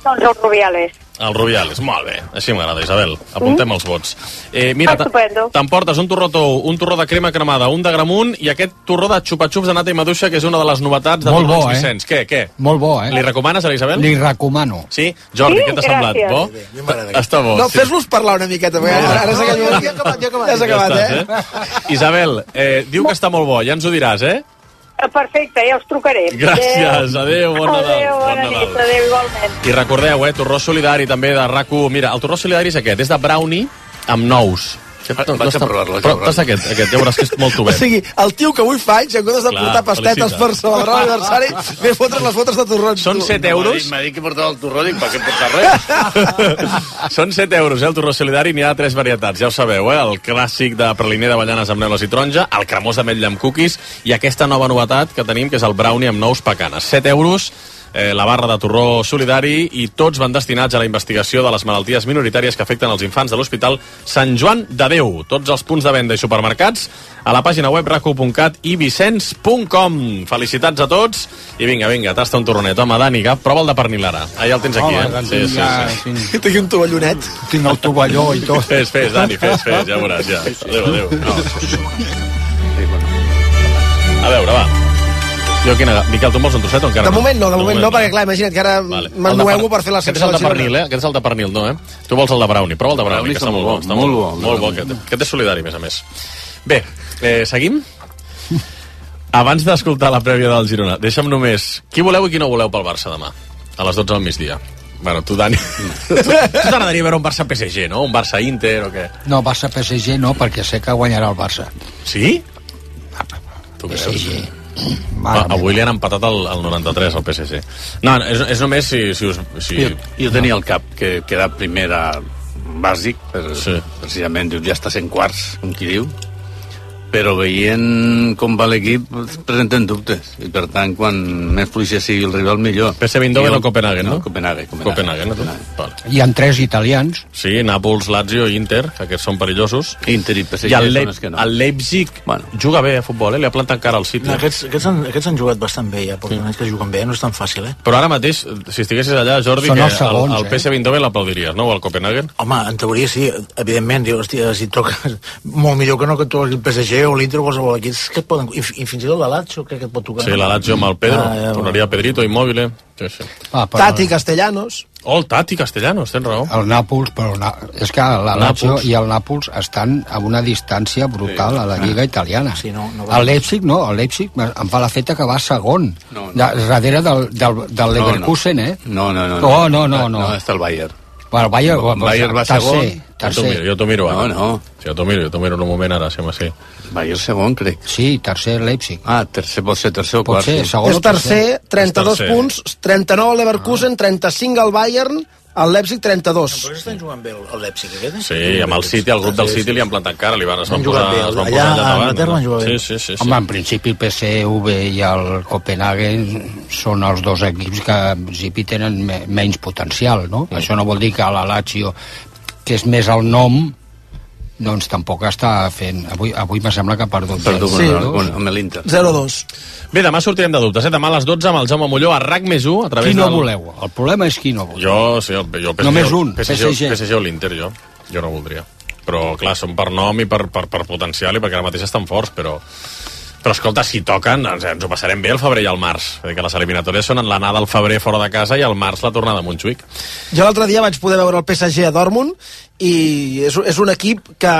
Doncs els Rubiales. Els Rubiales, molt bé. Així m'agrada, Isabel. Apuntem mm. els vots. Eh, mira, Estupendo. t'emportes un torró tou, un torró de crema cremada, un de gramunt i aquest torró de xupa-xups de nata i maduixa, que és una de les novetats de Molt bo, Torrons eh? Vicenç. Què, què? Molt bo, eh? Li recomanes a la Isabel? Li recomano. Sí? Jordi, Sí, què t'ha semblat? gràcies. Bo? Bé, bé, m'agrada. Està bo. No, sí. fes-los parlar una miqueta, perquè ara, ara s'ha Ja acabat, ha acabat, ja ha acabat. ja s'ha acabat, Ja eh? estàs, eh? Isabel, eh, diu que està molt bo, ja ens ho diràs, eh? Perfecte, ja us trucaré. Gràcies, adéu, bon Nadal. Adéu, bona bon nit, Nadal. adéu, igualment. I recordeu, eh, torró solidari també de RAC u. Mira, el torró solidari és aquest, és de brownie amb nous. Vaig a provar-lo, vaig a Però provar-lo. tasta aquest, aquest, ja veuràs que és molt O tubet. sigui, el tio que avui fa anys, en comptes de Clar, portar pastetes felicita. per celebrar l'aniversari, ve a fotre's les fotos de torrons. Són tu. set euros. M'ha dit que portava el torró, dic, per què portar res? Són set euros, eh, el torró solidari, n'hi ha tres varietats, ja ho sabeu, eh? El clàssic de praliner d'avellanes amb neules i taronja, el cremós d'ametlla amb cookies i aquesta nova novetat que tenim, que és el brownie amb nous pecanes. set euros, eh, la barra de torró solidari i tots van destinats a la investigació de les malalties minoritàries que afecten els infants de l'Hospital Sant Joan de Déu. Tots els punts de venda i supermercats a la pàgina web rac u punt cat i vicenç punt com. Felicitats a tots i vinga, vinga, tasta un torronet. Home, Dani, que prova el de pernil ara. Ah, ja el tens aquí, Home, eh? Sí, sí, ja, sí. tinc, Tinc un tovallonet. tinc el tovalló i tot. Fes, fes, Dani, fes, fes, ja veuràs, ja. Adéu, adéu. No. A veure, va. Jo, quina... Miquel, tu en vols un trosset o encara De no? moment no, de moment no, perquè clar, imagina't que ara Vale. m'ennuego per fer la Aquest és secció el de del Girona. pernil, eh? Aquest és el de pernil, no, eh? Tu vols el de brownie, prova el de brownie, que està molt bo. Està molt bo, Molt bo, aquest. Aquest és solidari, a més a més. Bé, eh, seguim? Abans d'escoltar la prèvia del Girona, deixa'm només... Qui voleu i qui no voleu pel Barça demà? A les dotze del migdia. Bueno, tu, Dani... tu tu t'agradaria veure un Barça-P S G, no? Un Barça-Inter o què? No, Barça-P S G no, perquè sé que guanyarà el Barça. Sí? Tu P S creus? G. Ah, avui li han empatat el, el noranta-tres al P S G. No, és, és només si, si us... Si... Jo, jo tenia el cap que queda primera bàsic, per, Sí. precisament, dius, ja està sent quarts, com qui diu, però veient com va l'equip presenten dubtes, i per tant, quan més fluixa sigui el rival, millor. P S V Eindhoven Jo- o Copenhagen, no? Copenhagen, Copenhagen, no? Vale. Hi ha tres italians. Sí, Nàpols, Lazio i Inter, que aquests són perillosos. Inter i P S G I el, són Leip els que no. el Leipzig Bueno. juga bé a futbol, eh? Li ha plantat cara al City. No, aquests, aquests, han, aquests han jugat bastant bé, ja, perquè mm. que juguen bé, no és tan fàcil, eh? Però ara mateix, si estiguessis allà, Jordi, Són que els segons, el, el eh? P S V Eindhoven l'aplaudiries, no? O el Copenhagen? Home, en teoria sí, evidentment, diu, hòstia, si et toca molt millor que no que tu el P S G o l'Inter o qualsevol equip, és que et poden, i, i fins i tot la Lazio crec que et pot tocar. Sí, la Lazio amb el Pedro, Ah, ja, tornaria Pedrito, Immobile... Sí, sí. Ah, però Tati Castellanos. Oh, el Tati Castellanos, tens raó. el Nàpols, però el Na... és que la Lazio Nàpols. i el Nàpols estan a una distància brutal a la Lliga Italiana. Sí, no, no va- el Leipzig no, el Leipzig em fa la feta que va segon, No, no. de, darrere del, del, del Leverkusen, eh? No, no, no. Oh, no, no, no. No, està el Bayern. Bueno, el Bayern, El Bayern va tercer, segon. Jo t'ho tercer. miro, jo t'ho miro ara. No, no. Sí, jo t'ho miro, jo t'ho miro en un moment ara, sembla sí. Bayern segon, crec. Sí, tercer Leipzig. Ah, tercer, pot ser tercer o Pot quart. ser, sí. segon És o tercer. tercer, trenta-dos És tercer. punts, trenta-nou al Leverkusen, trenta-cinc al Bayern, al Leipzig trenta-dos. Però estan jugant bé el, el Leipzig, aquest, eh? Sí, amb el City, el grup del City li han plantat cara, li van, es van Han jugat posar, bé, es van allà posar a allà davant. Anglaterra han jugat bé. Sí, sí, sí. sí. Home, en principi el P S V i el Copenhagen són els dos equips que en principi tenen me menys potencial, no? Mm. Això no vol dir que la Lazio, que és més el nom, doncs tampoc està fent... Avui, avui me sembla que ha perdut. Perdó, Sí. sí. amb l'Inter. zero dos. Bé, demà sortirem de dubtes, eh? Demà a les dotze amb el Jaume Molló a RAC més u, a través Qui no del... voleu? El problema és qui no voleu. Jo, sí, el, jo P S G, Només un, P S G, P S G. P S G o l'Inter, jo. Jo no voldria. Però, clar, són per nom i per, per, per potencial i perquè ara mateix estan forts, però... Però, escolta, si toquen, ens, ens ho passarem bé el febrer i el març. Vull dir que les eliminatòries són en l'anada al febrer fora de casa i al març la tornada a Montjuïc. Jo l'altre dia vaig poder veure el P S G a Dortmund i és, és un equip que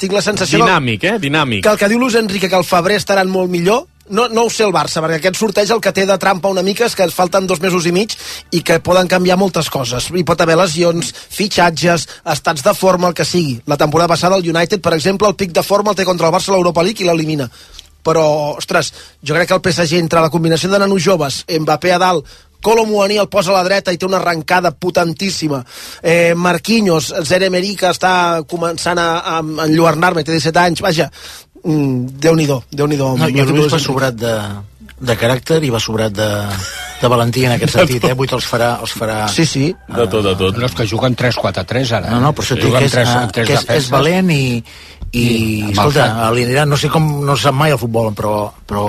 tinc la sensació Dinàmic, eh? Dinàmic. que el que diu Luis Enrique, que el febrer estaran molt millor, no, no ho sé el Barça, perquè aquest sorteig el que té de trampa una mica és que es falten dos mesos i mig i que poden canviar moltes coses. Hi pot haver lesions, fitxatges, estats de forma, el que sigui. La temporada passada el United, per exemple, el pic de forma el té contra el Barça a l'Europa League i l'elimina. Però, ostres, jo crec que el P S G, entre la combinació de nanos joves, Mbappé a dalt, Kolo Muani el posa a la dreta i té una arrencada potentíssima, eh, Marquinhos, Zaire Emery, que està començant a, a enlluernar-me, té disset anys, vaja, mm, Déu-n'hi-do, Déu-n'hi-do. No, jo crec que va sobrat de, de caràcter i va sobrat de, de valentia en aquest sentit, eh? Vull els farà, els farà... Sí, sí. De tot, de tot. No, és que juguen tres quatre tres ara. No, no, però això sí, que, és, tres, uh, tres que és, és valent i, i, i escolta, l'Irán no sé com, no sap mai el futbol, però, però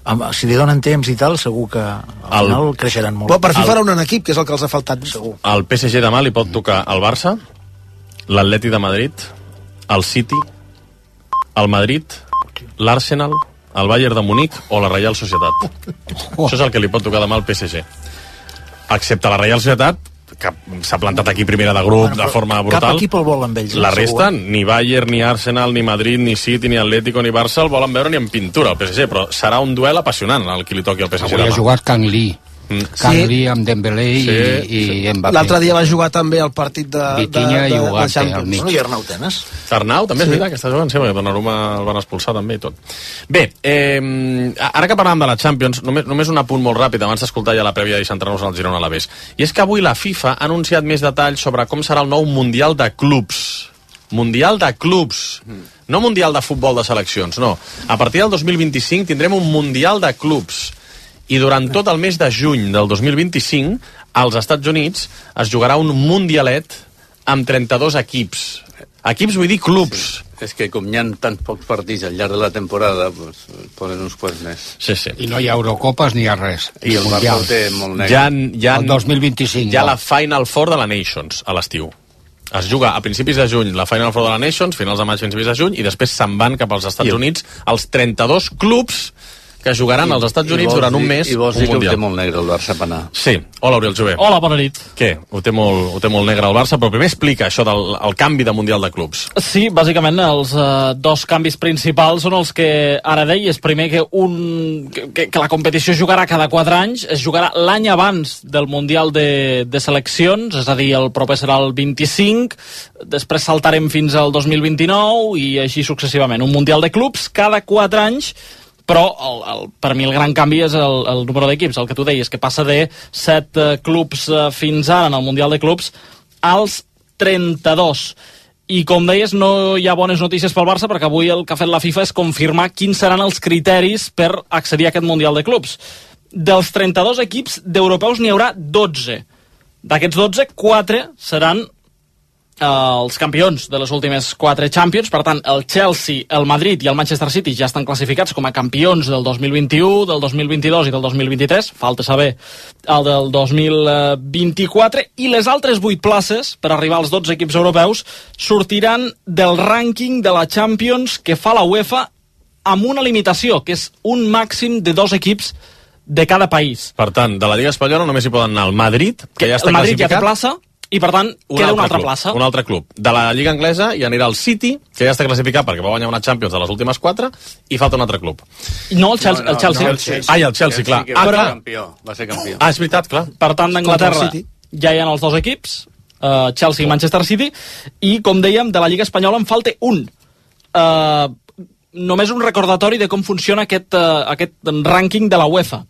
amb, si li donen temps i tal, segur que al final el, creixeran molt. Però per fi farà un equip, que és el que els ha faltat, segur. El P S G demà li pot tocar el Barça, l'Atleti de Madrid, el City, el Madrid, l'Arsenal, el Bayern de Munic o la Reial Societat. Oh. Això és el que li pot tocar demà al P S G. Excepte la Reial Societat, que s'ha plantat aquí primera de grup, bueno, de forma brutal. Cap equip el vol amb ells. La resta, segur. Ni Bayern, ni Arsenal, ni Madrid, ni City, ni Atlético, ni Barça el volen veure ni en pintura, el P S G, però serà un duel apassionant el que li toqui al P S G. Avui ha jugat Kang Lee. Mm. Kang sí. Lee amb Dembélé sí. i, i Mbappé. L'altre dia va jugar també el partit de, Vitinha de, de, i de Champions. No, i Arnau Tenes. Arnau també és sí. veritat que està jugant, sí, perquè Donnarumma el van expulsar també i tot. Bé, eh, ara que parlàvem de la Champions, només, només un apunt molt ràpid abans d'escoltar ja la prèvia i centrar-nos al Girona a l'Alavés. I és que avui la FIFA ha anunciat més detalls sobre com serà el nou Mundial de Clubs. Mundial de Clubs. No Mundial de Futbol de Seleccions, no. A partir del dos mil vint-i-cinc tindrem un Mundial de Clubs. I durant tot el mes de juny del dos mil vint-i-cinc, als Estats Units es jugarà un mundialet amb trenta-dos equips. Equips vull dir clubs. Sí. És que com hi ha tants pocs partits al llarg de la temporada, pues, posen uns quants més. Sí, sí. I no hi ha Eurocopes ni hi ha res. I el Barça té molt negre. Hi ha, hi ha, el dos mil vint-i-cinc. Hi ha no. la Final Four de la Nations a l'estiu. Es juga a principis de juny la Final Four de la Nations, finals de maig, principis de juny, i després se'n van cap als Estats Units els trenta-dos clubs que jugaran I, als Estats Units durant un mes. I vols dir que ho té molt negre el Barça per anar. Sí. Hola, Oriol Jové. Hola, bona nit. Què? Ho té molt, ho té molt negre el Barça, però primer explica això del el canvi de Mundial de Clubs. Sí, bàsicament els eh, dos canvis principals són els que ara deies. Primer que, un, que, que la competició jugarà cada quatre anys, es jugarà l'any abans del Mundial de, de Seleccions, és a dir, el proper serà el vint-i-cinc, després saltarem fins al dos mil vint-i-nou i així successivament. Un Mundial de Clubs cada quatre anys, però el, el, per mi el gran canvi és el, el número d'equips, el que tu deies, que passa de set uh, clubs uh, fins ara en el Mundial de Clubs als trenta-dos. I com deies, no hi ha bones notícies pel Barça, perquè avui el que ha fet la FIFA és confirmar quins seran els criteris per accedir a aquest Mundial de Clubs. Dels trenta-dos equips d'europeus n'hi haurà dotze. D'aquests dotze, quatre seran els campions de les últimes quatre Champions. Per tant, el Chelsea, el Madrid i el Manchester City ja estan classificats com a campions del dos mil vint-i-u, del dos mil vint-i-dos i del dos mil vint-i-tres. Falta saber el del dos mil vint-i-quatre. I les altres vuit places, per arribar als dotze equips europeus, sortiran del rànquing de la Champions que fa la UEFA amb una limitació, que és un màxim de dos equips de cada país. Per tant, de la Lliga Espanyola només hi poden anar el Madrid, que ja està el Madrid classificat. Ja té plaça, i per tant un queda una altra club, plaça. Un altre club. De la Lliga Anglesa hi anirà el City, que ja està classificat perquè va guanyar una Champions de les últimes quatre, i falta un altre club. No, el Chelsea. No, no, el Chelsea. No, el Chelsea. Ah, i el Chelsea, clar. Ah, clar. Campió, va ser campió. Ah, és veritat, clar. Per tant, d'Anglaterra ja hi ha els dos equips, uh, Chelsea i Manchester City, i, com dèiem, de la Lliga Espanyola en falta un. Uh, només un recordatori de com funciona aquest, uh, aquest rànquing de la UEFA.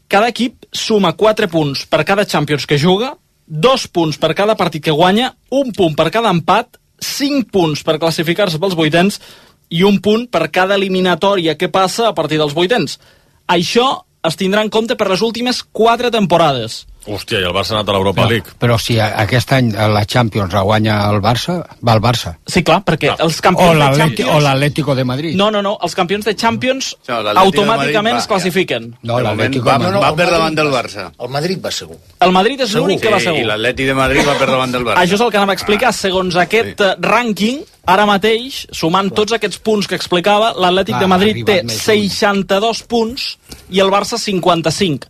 Cada equip suma quatre punts per cada Champions que juga, dos punts per cada partit que guanya, un punt per cada empat, cinc punts per classificar-se pels vuitens i un punt per cada eliminatòria que passa a partir dels vuitens. Això es tindrà en compte per les últimes quatre temporades. Hòstia, i el Barça ha anat a l'Europa League. Però si aquest any la Champions la guanya el Barça, va el Barça. Sí, clar, perquè clar. els campions de Champions... O l'Atlético de Madrid. No, no, no, els campions de Champions no, automàticament es classifiquen. No, l'Atlético va, no, va per davant del Barça. El Madrid va segur. El Madrid és l'únic que va segur. I l'Atleti de Madrid va per davant del Barça. Això és el que anava a explicar. Segons aquest sí. rànquing, ara mateix, sumant clar. tots aquests punts que explicava, l'Atlètic de Madrid té seixanta-dos punts i el Barça cinquanta-cinc.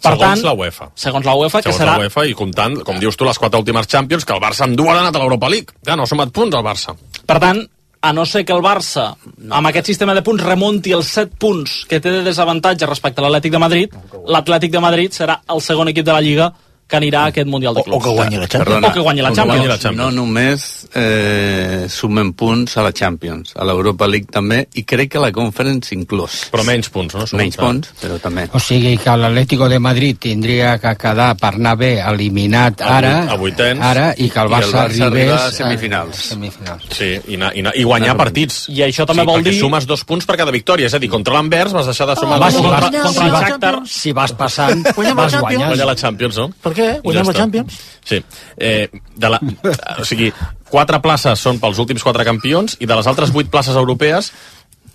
Per segons tant, la UEFA. Segons la UEFA, segons que serà... la UEFA, i comptant, com dius tu, les quatre últimes Champions, que el Barça amb dues ha anat a l'Europa League. Ja no ha sumat punts al Barça. Per tant, a no ser que el Barça, amb aquest sistema de punts, remunti els set punts que té de desavantatge respecte a l'Atlètic de Madrid, l'Atlètic de Madrid serà el segon equip de la Lliga que anirà a aquest Mundial de Clubs. O, o que guanyi la Champions. Perdona, o que guanyi la Champions. No, no només eh, sumen punts a la Champions, a l'Europa League també, i crec que la Conference inclús. Però menys punts, no? Menys punts, però també. O sigui que l'Atlético de Madrid tindria que quedar per anar bé eliminat ara, a vuitens, ara i que el Barça, I el Barça arribés a semifinals. A semifinals. Sí, i, na, i, na, i guanyar partits. I això també sí, vol dir... dir... sumes dos punts per cada victòria, és a dir, contra l'Anvers vas deixar de sumar... Oh, dos si contra, vas, contra si, el vas, Shakhtar. si vas passant, Guanyem vas la guanyant. Guanyar la Champions, no? Per què? Guanyem Ja la Champions. Sí. Eh, de la, o sigui, quatre places són pels últims quatre campions i de les altres vuit places europees,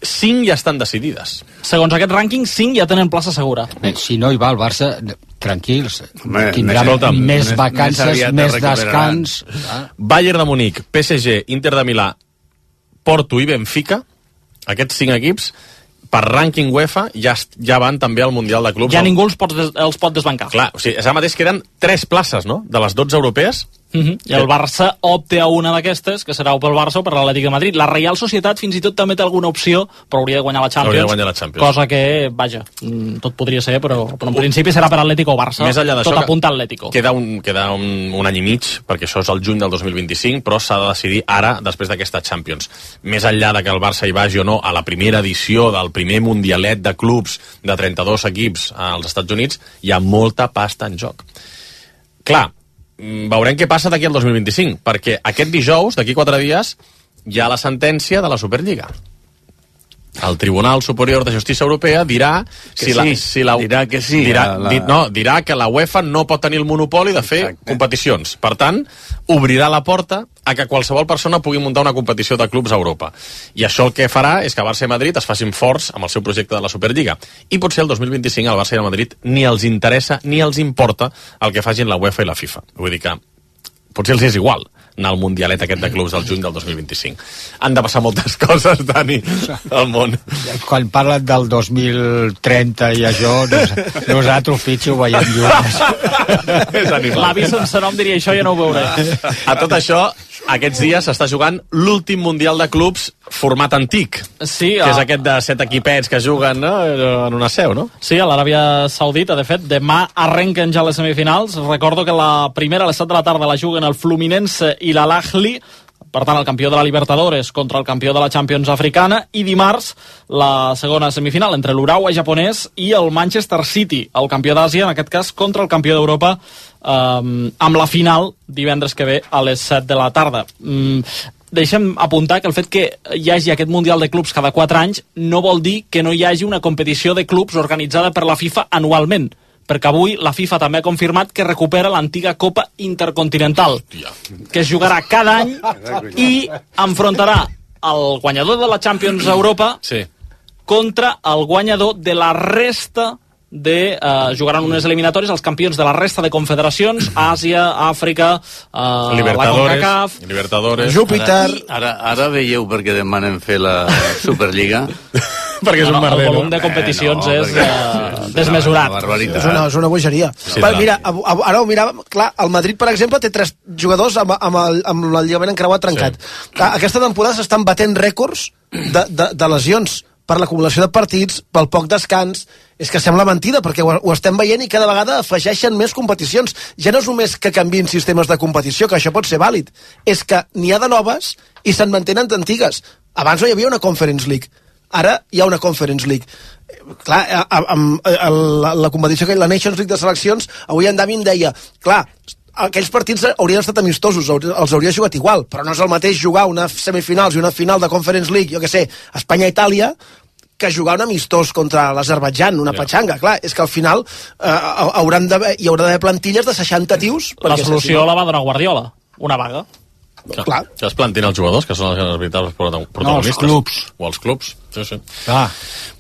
cinc ja estan decidides. Segons aquest rànquing, cinc ja tenen plaça segura. Bé, si no hi va el Barça, tranquils, Home, tindrà escolta'm, més més- vacances, més aviat més es recuperaran. descans. Ah. Bayern de Munic, P S G, Inter de Milà, Porto i Benfica, aquests cinc equips, per rànquing UEFA, ja, ja van també al Mundial de Clubs. Ja ningú els pot, des, els pot desbancar. Clar, o sigui, ara mateix queden tres places, no?, de les dotze europees. Uh -huh. I el Barça opta a una d'aquestes, que serà o pel Barça o per l'Atlètic de Madrid. La Reial Societat fins i tot també té alguna opció, però hauria de guanyar la Champions. Hauria de guanyar la Champions. Cosa que, vaja, tot podria ser, però, però en principi serà per Atlético o Barça. Més enllà d'això, tot apunta a Atlético. Queda, un, queda un, un any i mig, perquè això és el juny del dos mil vint-i-cinc, però s'ha de decidir ara, després d'aquesta Champions. Més enllà de que el Barça hi vagi o no a la primera edició del primer mundialet de clubs de trenta-dos equips als Estats Units, hi ha molta pasta en joc. Clar, veurem què passa d'aquí al dos mil vint-i-cinc, perquè aquest dijous, d'aquí quatre dies, hi ha la sentència de la Superliga. El Tribunal Superior de Justícia Europea dirà Que si la, sí, si la, dirà que sí, dirà, la- di, no, dirà que la UEFA no pot tenir el monopoli de fer Exacte. competicions. Per tant, obrirà la porta a que qualsevol persona pugui muntar una competició de clubs a Europa. I això el que farà és que Barça i Madrid es facin forts amb el seu projecte de la Superliga. I potser el dos mil vint-i-cinc al Barça i al Madrid ni els interessa ni els importa el que facin la UEFA i la FIFA. Vull dir que potser els és igual anar al mundialet aquest de clubs del juny del dos mil vint-i-cinc. Han de passar moltes coses, Dani, al món. Quan parlen del dos mil trenta i això, nos, nosaltres, Fitxo, ho veiem llunes. És animal. L'avi sense nom diria això, ja no ho veuré. A tot això, aquests dies s'està jugant l'últim Mundial de Clubs format antic, Sí, que a... és aquest de set equipets que juguen, no?, en una seu, no? Sí, a l'Aràbia Saudita, de fet, demà arrenquen ja les semifinals. Recordo que la primera a les set de la tarda la juguen el Fluminense i l'Al-Ahly, per tant, el campió de la Libertadores contra el campió de la Champions africana, i dimarts la segona semifinal entre l'Urawa japonès i el Manchester City, el campió d'Àsia, en aquest cas, contra el campió d'Europa, eh, amb la final divendres que ve a les set de la tarda. Mm, deixem apuntar que el fet que hi hagi aquest Mundial de Clubs cada quatre anys no vol dir que no hi hagi una competició de clubs organitzada per la FIFA anualment, perquè avui la FIFA també ha confirmat que recupera l'antiga Copa Intercontinental, que es jugarà cada any i enfrontarà el guanyador de la Champions Europa Sí. contra el guanyador de la resta de... Eh, jugaran unes eliminatòries els campions de la resta de confederacions, Àsia, Àfrica, eh, la Libertadores, CONCACAF, Libertadores... Júpiter... Ara, ara veieu per què demanen fer la Superliga? perquè és un no, el merder, volum no? de competicions Eh, no, és perquè- eh, sí, desmesurat. una barbaritat. És una, és una bogeria. Sí, Sí, clar. mira, a, a, ara ho miràvem, clar, el Madrid, per exemple, té tres jugadors amb, amb, el, amb el lligament encreuat trencat. Sí. Aquesta temporada s'estan batent rècords de, de, de lesions per l'acumulació de partits, pel poc descans. És que sembla mentida, perquè ho, ho estem veient i cada vegada afegeixen més competicions. Ja no és només que canvien sistemes de competició, que això pot ser vàlid, és que n'hi ha de noves i se'n mantenen d'antigues. Abans no hi havia una Conference League, ara hi ha una Conference League. Clar, a, a, a, a la, la competició, que la Nations League de seleccions, avui en Dami em deia, clar, aquells partits haurien estat amistosos, els hauria jugat igual, però no és el mateix jugar una semifinals i una final de Conference League, jo què sé, Espanya-Itàlia, que jugar un amistós contra l'Azerbaidjan, una Ja. patxanga. Clar, és que al final eh, hauran d'haver, hi haurà d'haver plantilles de seixanta tios. La perquè solució si no- la va donar Guardiola, una vaga. Que, Clar. que es plantin els jugadors, que són els veritables protagonistes. No, els clubs. O els clubs, sí, sí. Clar.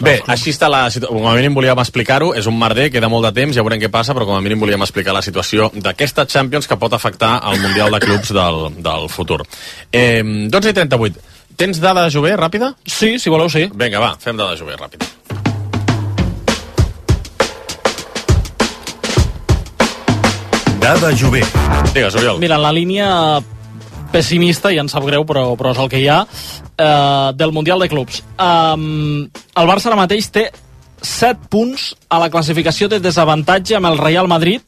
Bé, així està la situació. Com a mínim volíem explicar-ho, és un merder, queda molt de temps, ja veurem què passa, però com a mínim volíem explicar la situació d'aquesta Champions que pot afectar el Mundial de Clubs del, del futur. Eh, dotze i trenta-vuit. Tens dada de Jové, ràpida? Sí, si voleu, sí. Vinga, va, fem dada de Jové, ràpida. Dada Jové. Digues, Oriol. Mira, en la línia pessimista, ja em sap greu, però, però és el que hi ha, eh, del Mundial de Clubs. Um, el Barça ara mateix té set punts a la classificació de desavantatge amb el Real Madrid,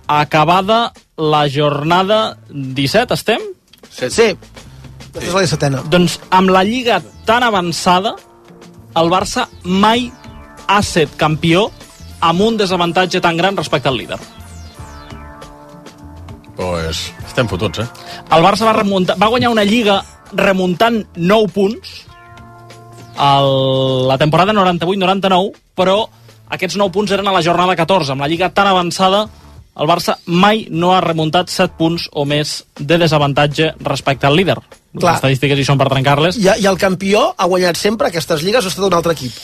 acabada la jornada disset, estem? Sí. Sí. És la dissetena. Doncs amb la Lliga tan avançada, el Barça mai ha set campió amb un desavantatge tan gran respecte al líder. Pues estem fotuts, eh? El Barça va, remuntar, va guanyar una Lliga remuntant nou punts el, la temporada noranta-vuit noranta-nou, però aquests nou punts eren a la jornada catorze. Amb la Lliga tan avançada, el Barça mai no ha remuntat set punts o més de desavantatge respecte al líder. Clar. Les estadístiques hi són per trencar-les. I, I el campió ha guanyat sempre aquestes lligues o ha estat un altre equip?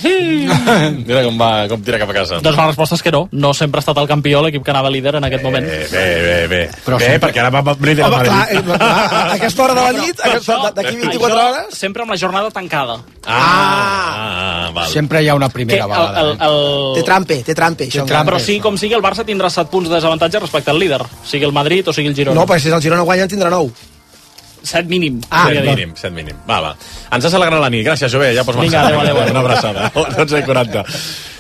Mira com va, com tira cap a casa. Doncs la resposta és que no. No sempre ha estat el campió l'equip que anava líder en aquest moment. Bé, bé, bé. bé, Però bé sempre... perquè ara va líder a Madrid. Clar, eh, clar, a aquesta hora de la nit, d'aquí vint-i-quatre hores... Sempre amb la jornada tancada. Ah, ah val. Sempre hi ha una primera Que el- vegada. el- el- Té trampe, té trampe, això. Però sigui com sigui, el Barça tindrà set punts de desavantatge respecte al líder, sigui el Madrid o sigui el Girona. No, perquè si el Girona guanya en tindrà nou. Set mínim. Ah, set podria dir. mínim, set mínim. Va, va. Ens has alegrat la nit. Gràcies, Jové. Ja pots Vinga, marxar. adéu, adéu, adéu. Una abraçada. dotze i quaranta.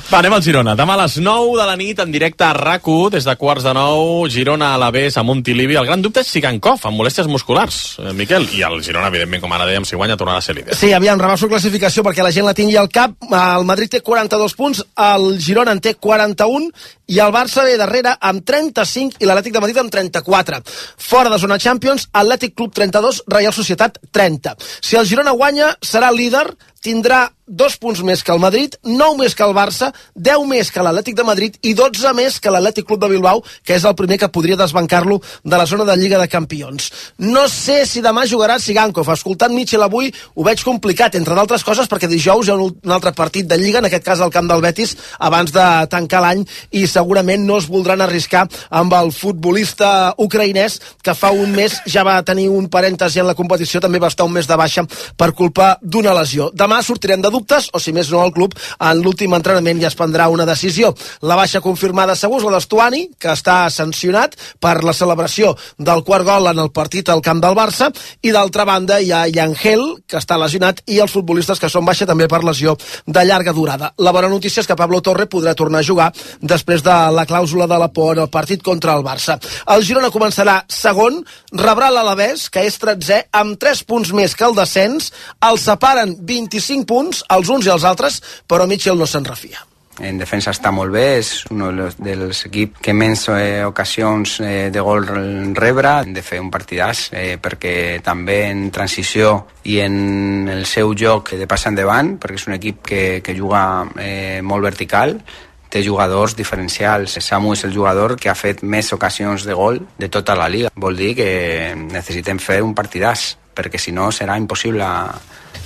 Va, anem al Girona. Demà a les nou de la nit, en directe a RAC u, des de quarts de nou, Girona a l'Alavés, a Montilivi. El gran dubte és Sigankov, amb molèsties musculars, eh, Miquel. I el Girona, evidentment, com ara dèiem, si guanya, tornarà a ser líder. Sí, aviam, rebaixo classificació perquè la gent la tingui al cap. El Madrid té quaranta-dos punts, el Girona en té quaranta-un i el Barça ve darrere amb trenta-cinc i l'Atlètic de Madrid amb trenta-quatre. Fora de zona Champions, Atlètic Club trenta-dos, Reial Societat trenta. Si el Girona guanya, serà líder, tindrà dos punts més que el Madrid, nou més que el Barça, deu més que l'Atlètic de Madrid i dotze més que l'Atlètic Club de Bilbao, que és el primer que podria desbancar-lo de la zona de Lliga de Campions. No sé si demà jugarà Sigankov. Escoltant Mitchell avui ho veig complicat, entre d'altres coses perquè dijous hi ha un, un altre partit de Lliga, en aquest cas al camp del Betis, abans de tancar l'any, i segurament no es voldran arriscar amb el futbolista ucraïnès que fa un mes ja va tenir un parèntesi en la competició, també va estar un mes de baixa per culpa d'una lesió. Demà sortirem de dubtes, o si més no el club, en l'últim entrenament ja es prendrà una decisió. La baixa confirmada segur és la d'Estuani, que està sancionat per la celebració del quart gol en el partit al camp del Barça, i d'altra banda hi ha Yangel, que està lesionat, i els futbolistes que són baixa també per lesió de llarga durada. La bona notícia és que Pablo Torre podrà tornar a jugar després de la clàusula de la por en el partit contra el Barça. El Girona començarà segon, rebrà l'Alavés, que és tretzè, amb tres punts més que el descens, els separen vint-i-cinc punts, els uns i els altres, però Mitchell no se'n refia. En defensa està molt bé, és un dels, dels equips que menys eh, ocasions eh, de gol rebre. Hem de fer un partidàs eh, perquè també en transició i en el seu joc de passar endavant, perquè és un equip que, que juga eh, molt vertical, té jugadors diferencials. Samu és el jugador que ha fet més ocasions de gol de tota la Liga. Vol dir que necessitem fer un partidàs, perquè si no serà impossible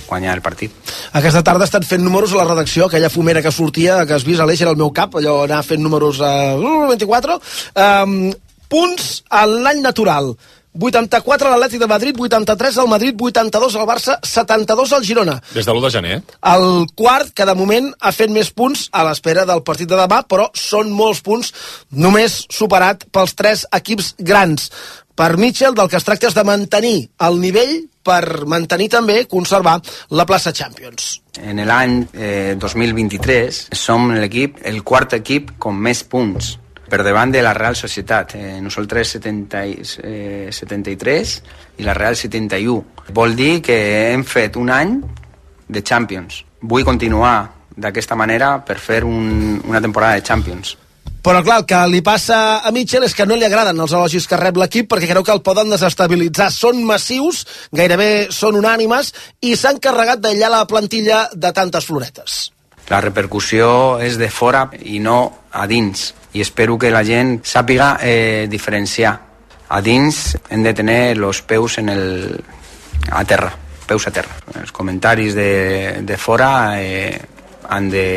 guanyar el partit. Aquesta tarda estan fent números a la redacció, aquella fumera que sortia, que has vist, Aleix, era el meu cap, allò anar fent números a vint-i-quatre. Um, punts a l'any natural. vuitanta-quatre a l'Atlètic de Madrid, vuitanta-tres al Madrid, vuitanta-dos al Barça, setanta-dos al Girona. Des de l'u de gener. El quart, que de moment ha fet més punts a l'espera del partit de demà, però són molts punts, només superat pels tres equips grans. Per Mitchell, del que es tracta és de mantenir el nivell per mantenir també, conservar la plaça Champions. En l'any eh, dos mil vint-i-tres som l'equip, el quart equip amb més punts per davant de la Real Societat. Eh, nosaltres setanta, eh, setanta-tres i la Real setanta-u. Vol dir que hem fet un any de Champions. Vull continuar d'aquesta manera per fer un, una temporada de Champions. Però clar, el que li passa a Mitchell és que no li agraden els elogis que rep l'equip perquè creu que el poden desestabilitzar. Són massius, gairebé són unànimes, i s'han carregat d'aïllar la plantilla de tantes floretes. La repercussió és de fora i no a dins, i espero que la gent sàpiga eh, diferenciar. A dins hem de tenir els peus en el... a terra, peus a terra. Els comentaris de, de fora eh, han de...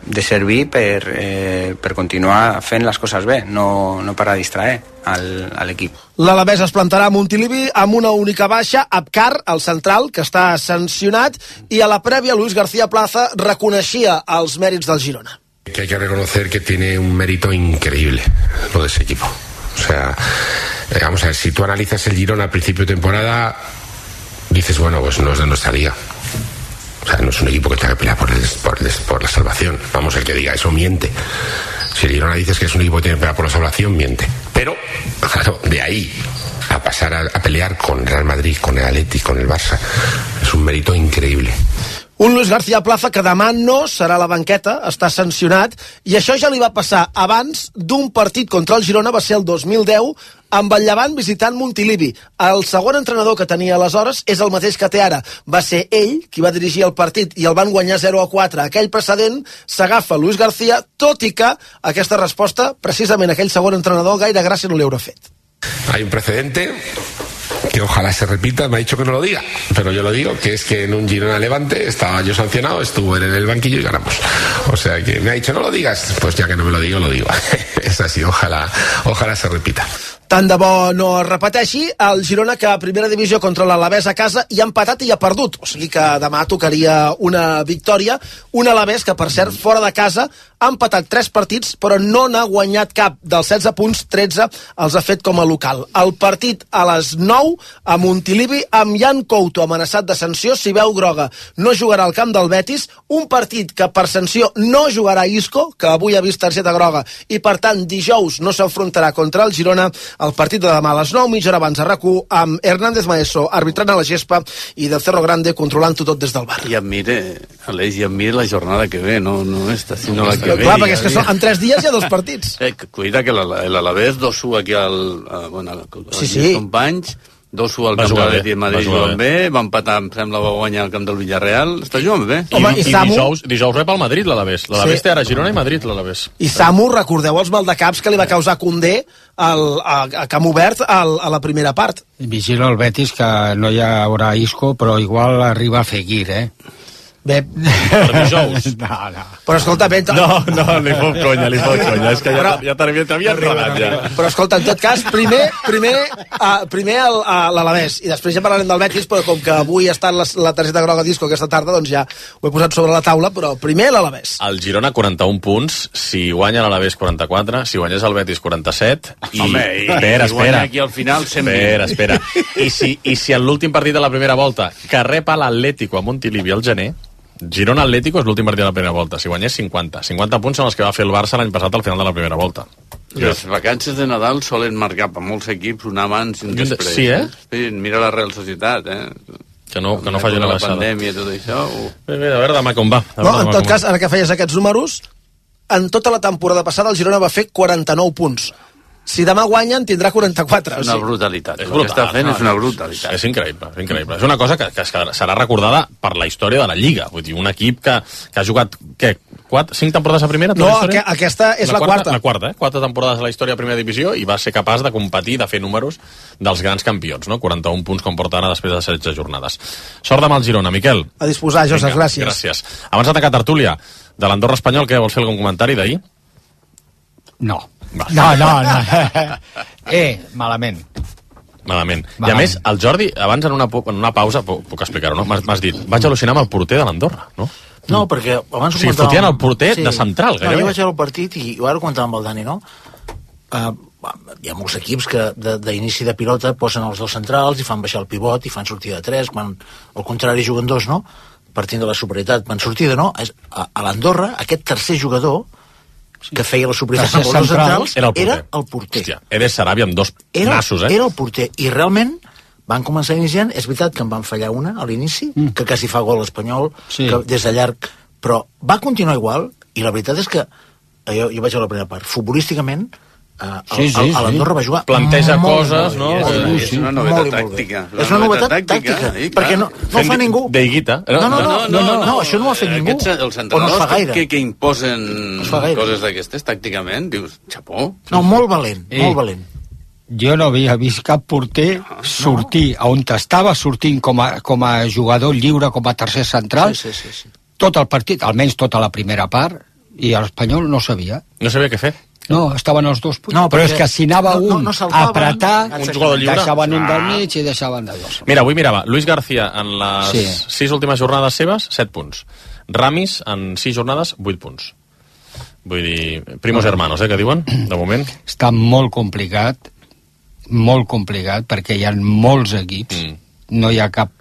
de servir per, eh, per continuar fent les coses bé, no, no per a distraer al, a l'equip. L'Alavés es plantarà a Montilivi amb una única baixa, Abkar, el central, que està sancionat, i a la prèvia Luis García Plaza reconeixia els mèrits del Girona. Que hay que reconocer que tiene un mérito increíble lo de ese equipo. O sea, eh, vamos a ver, si tú analizas el Girona al principio de temporada, dices, bueno, pues no es de nuestra liga. O sea, no es un equipo que tenga que pelear por, el, por, el, por la salvación. Vamos, el que diga eso miente. Si el Girona dices que es un equipo que tiene que pelear por la salvación, miente. Pero, claro, de ahí a pasar a, a pelear con el Real Madrid, con el Atleti, con el Barça, és un mèrit increïble. Un Luis García Plaza que demà no serà a la banqueta, està sancionat, i això ja li va passar abans d'un partit contra el Girona, va ser el dos mil deu, amb el Llevant visitant Montilivi. El segon entrenador que tenia aleshores és el mateix que té ara. Va ser ell qui va dirigir el partit i el van guanyar zero a quatre. Aquell precedent s'agafa Luis García, tot i que aquesta resposta, precisament aquell segon entrenador, gaire gràcia no li haurà fet. Hay un precedente que ojalá se repita, me ha dicho que no lo diga, pero yo lo digo, que es que en un Girona Levante estaba yo sancionado, estuvo él en el banquillo y ganamos. O sea que me ha dicho no lo digas, pues ya que no me lo digo, lo digo. Es así, ojalá, ojalá se repita. Tant de bo no es repeteixi, el Girona que a primera divisió contra l'Alavés a casa i ha empatat i ha perdut, o sigui que demà tocaria una victòria, un Alavés que per cert fora de casa ha empatat tres partits però no n'ha guanyat cap, dels setze punts tretze els ha fet com a local. El partit a les nou a Montilivi amb Jan Couto amenaçat de sanció, si veu groga no jugarà al camp del Betis, un partit que per sanció no jugarà Isco, que avui ha vist targeta groga i per tant dijous no s'enfrontarà contra el Girona. El partit de demà a les nou, mitja hora abans a RAC u, amb Hernández Maeso arbitrant a la gespa i del Cerro Grande controlant-ho tot des del bar. I em mire, Aleix, i em mire la jornada que ve, no, no esta, sinó la que ve. Clar, perquè és que són, en tres dies hi ha dos partits. Eh, cuida que l'Alavés dos u aquí al, a, bueno, als sí, sí. companys, dos u al camp de l'Atleti de Madrid jugant bé, va empatar, em sembla, va guanyar al camp del Villarreal, està jugant bé. Home, i, i, i dijous, dijous rep al Madrid l'Alavés. L'Alavés sí. té ara Girona i Madrid l'Alavés. I Samu, recordeu els maldecaps que li va causar Condé al, a, a camp obert al, a la primera part. Vigila el Betis que no hi haurà Isco, però igual arriba a Fekir, eh? Bé. Per dijous. No, no. Però escolta, ben... No, no, li fot conya, li fot conya. És que ja, ja t'havia enredat, ja. Però escolta, en tot cas, primer, primer, uh, primer l'Alavés, i després ja parlarem del Betis, però com que avui ha estat la, la targeta groga Disco aquesta tarda, doncs ja ho he posat sobre la taula, però primer l'Alavés. El Girona, quaranta-un punts, si guanya l'Alavés, quaranta-quatre, si guanyés el Betis, quaranta-set, i... Home, i, espera, i guanya espera. aquí al final, cent vint. Espera, espera. I si, i si en l'últim partit de la primera volta, que rep a l'Atlético a Montilivi al gener, Girona Atlético és l'últim partit de la primera volta. Si guanyés cinquanta. cinquanta punts són els que va fer el Barça l'any passat al final de la primera volta. Les vacances de Nadal solen marcar per molts equips un abans i un després. Sí, eh? Sí, mira la Real Societat, eh? Que no, que no faci una baixada. La pandèmia i tot això... Uh. Bé, bé, a veure demà com va. No, en tot cas, ara que feies aquests números, en tota la temporada passada el Girona va fer quaranta-nou punts. Si demà guanyen, tindrà quaranta-quatre. És una brutalitat. És brutal, el que està fent no, és una brutalitat. És increïble, és increïble. És una cosa que, que serà recordada per la història de la Lliga. Vull dir, un equip que, que ha jugat, què, quatre, cinc temporades a primera? No, aqu aquesta és la, la quarta. La quarta, eh? Quatre temporades a la història de primera divisió i va ser capaç de competir, de fer números dels grans campions, no? quaranta-un punts com porta ara després de setze jornades. Sort demà al Girona, Miquel. A disposar, Josep, gràcies. Gràcies. Abans de tancar tertúlia, de l'Andorra Espanyol, què vols fer algun comentari d'ahir? No. Va. No, no, no. Eh, malament. Malament. malament. I a més, el Jordi, abans en una, en una pausa, puc, puc explicar-ho, no? M'has dit, vaig al·lucinar amb el porter de l'Andorra, no? No, perquè abans... O sigui, fotien el porter sí. de central, gairebé. No, jo vaig veure el partit i ho ara ho comentava amb el Dani, no? Uh, hi ha molts equips que d'inici de, de pilota posen els dos centrals i fan baixar el pivot i fan sortida de tres, quan al contrari juguen dos, no? Partint de la superioritat, van sortida, no? A, a l'Andorra, aquest tercer jugador que feia la superioritat amb els dos centrals era el porter. Era el porter. Hòstia, Eder Sarabia amb dos era, nassos, eh? Era el porter, i realment van començar iniciant, és veritat que en van fallar una a l'inici, mm. que quasi fa gol l'Espanyol, sí. que des de llarg, però va continuar igual, i la veritat és que jo, jo vaig a la primera part, futbolísticament Uh, sí, sí, a l'Andorra va jugar planteja molt, coses, molt, no? Molt, és, molt, és una novetat tàctica. És una novetat tàctica, tàctica perquè no, no fa ningú. Deiguita. No, no, no, no, no, no, no, això no ho ha fet ningú. Aquests, els entrenadors no que, que imposen no coses d'aquestes tàcticament, dius, xapó. No, molt valent, eh, molt valent. Jo no havia vist cap porter no, sortir no. on estava sortint com a, com a jugador lliure, com a tercer central, sí, sí, sí, sí. tot el partit, almenys tota la primera part, i l'Espanyol no sabia. No sabia què fer. No, estaven els dos punts. No, però és que si anava no, un no, no a apretar, un jugador lliure, deixaven un del mig i deixaven de dos. Mira, avui mirava, Luis García en les sí. sis últimes jornades seves, set punts. Ramis en sis jornades, vuit punts. Vull dir, primos hermanos, eh, que diuen, de moment. Està molt complicat, molt complicat, perquè hi ha molts equips, mm. no hi ha cap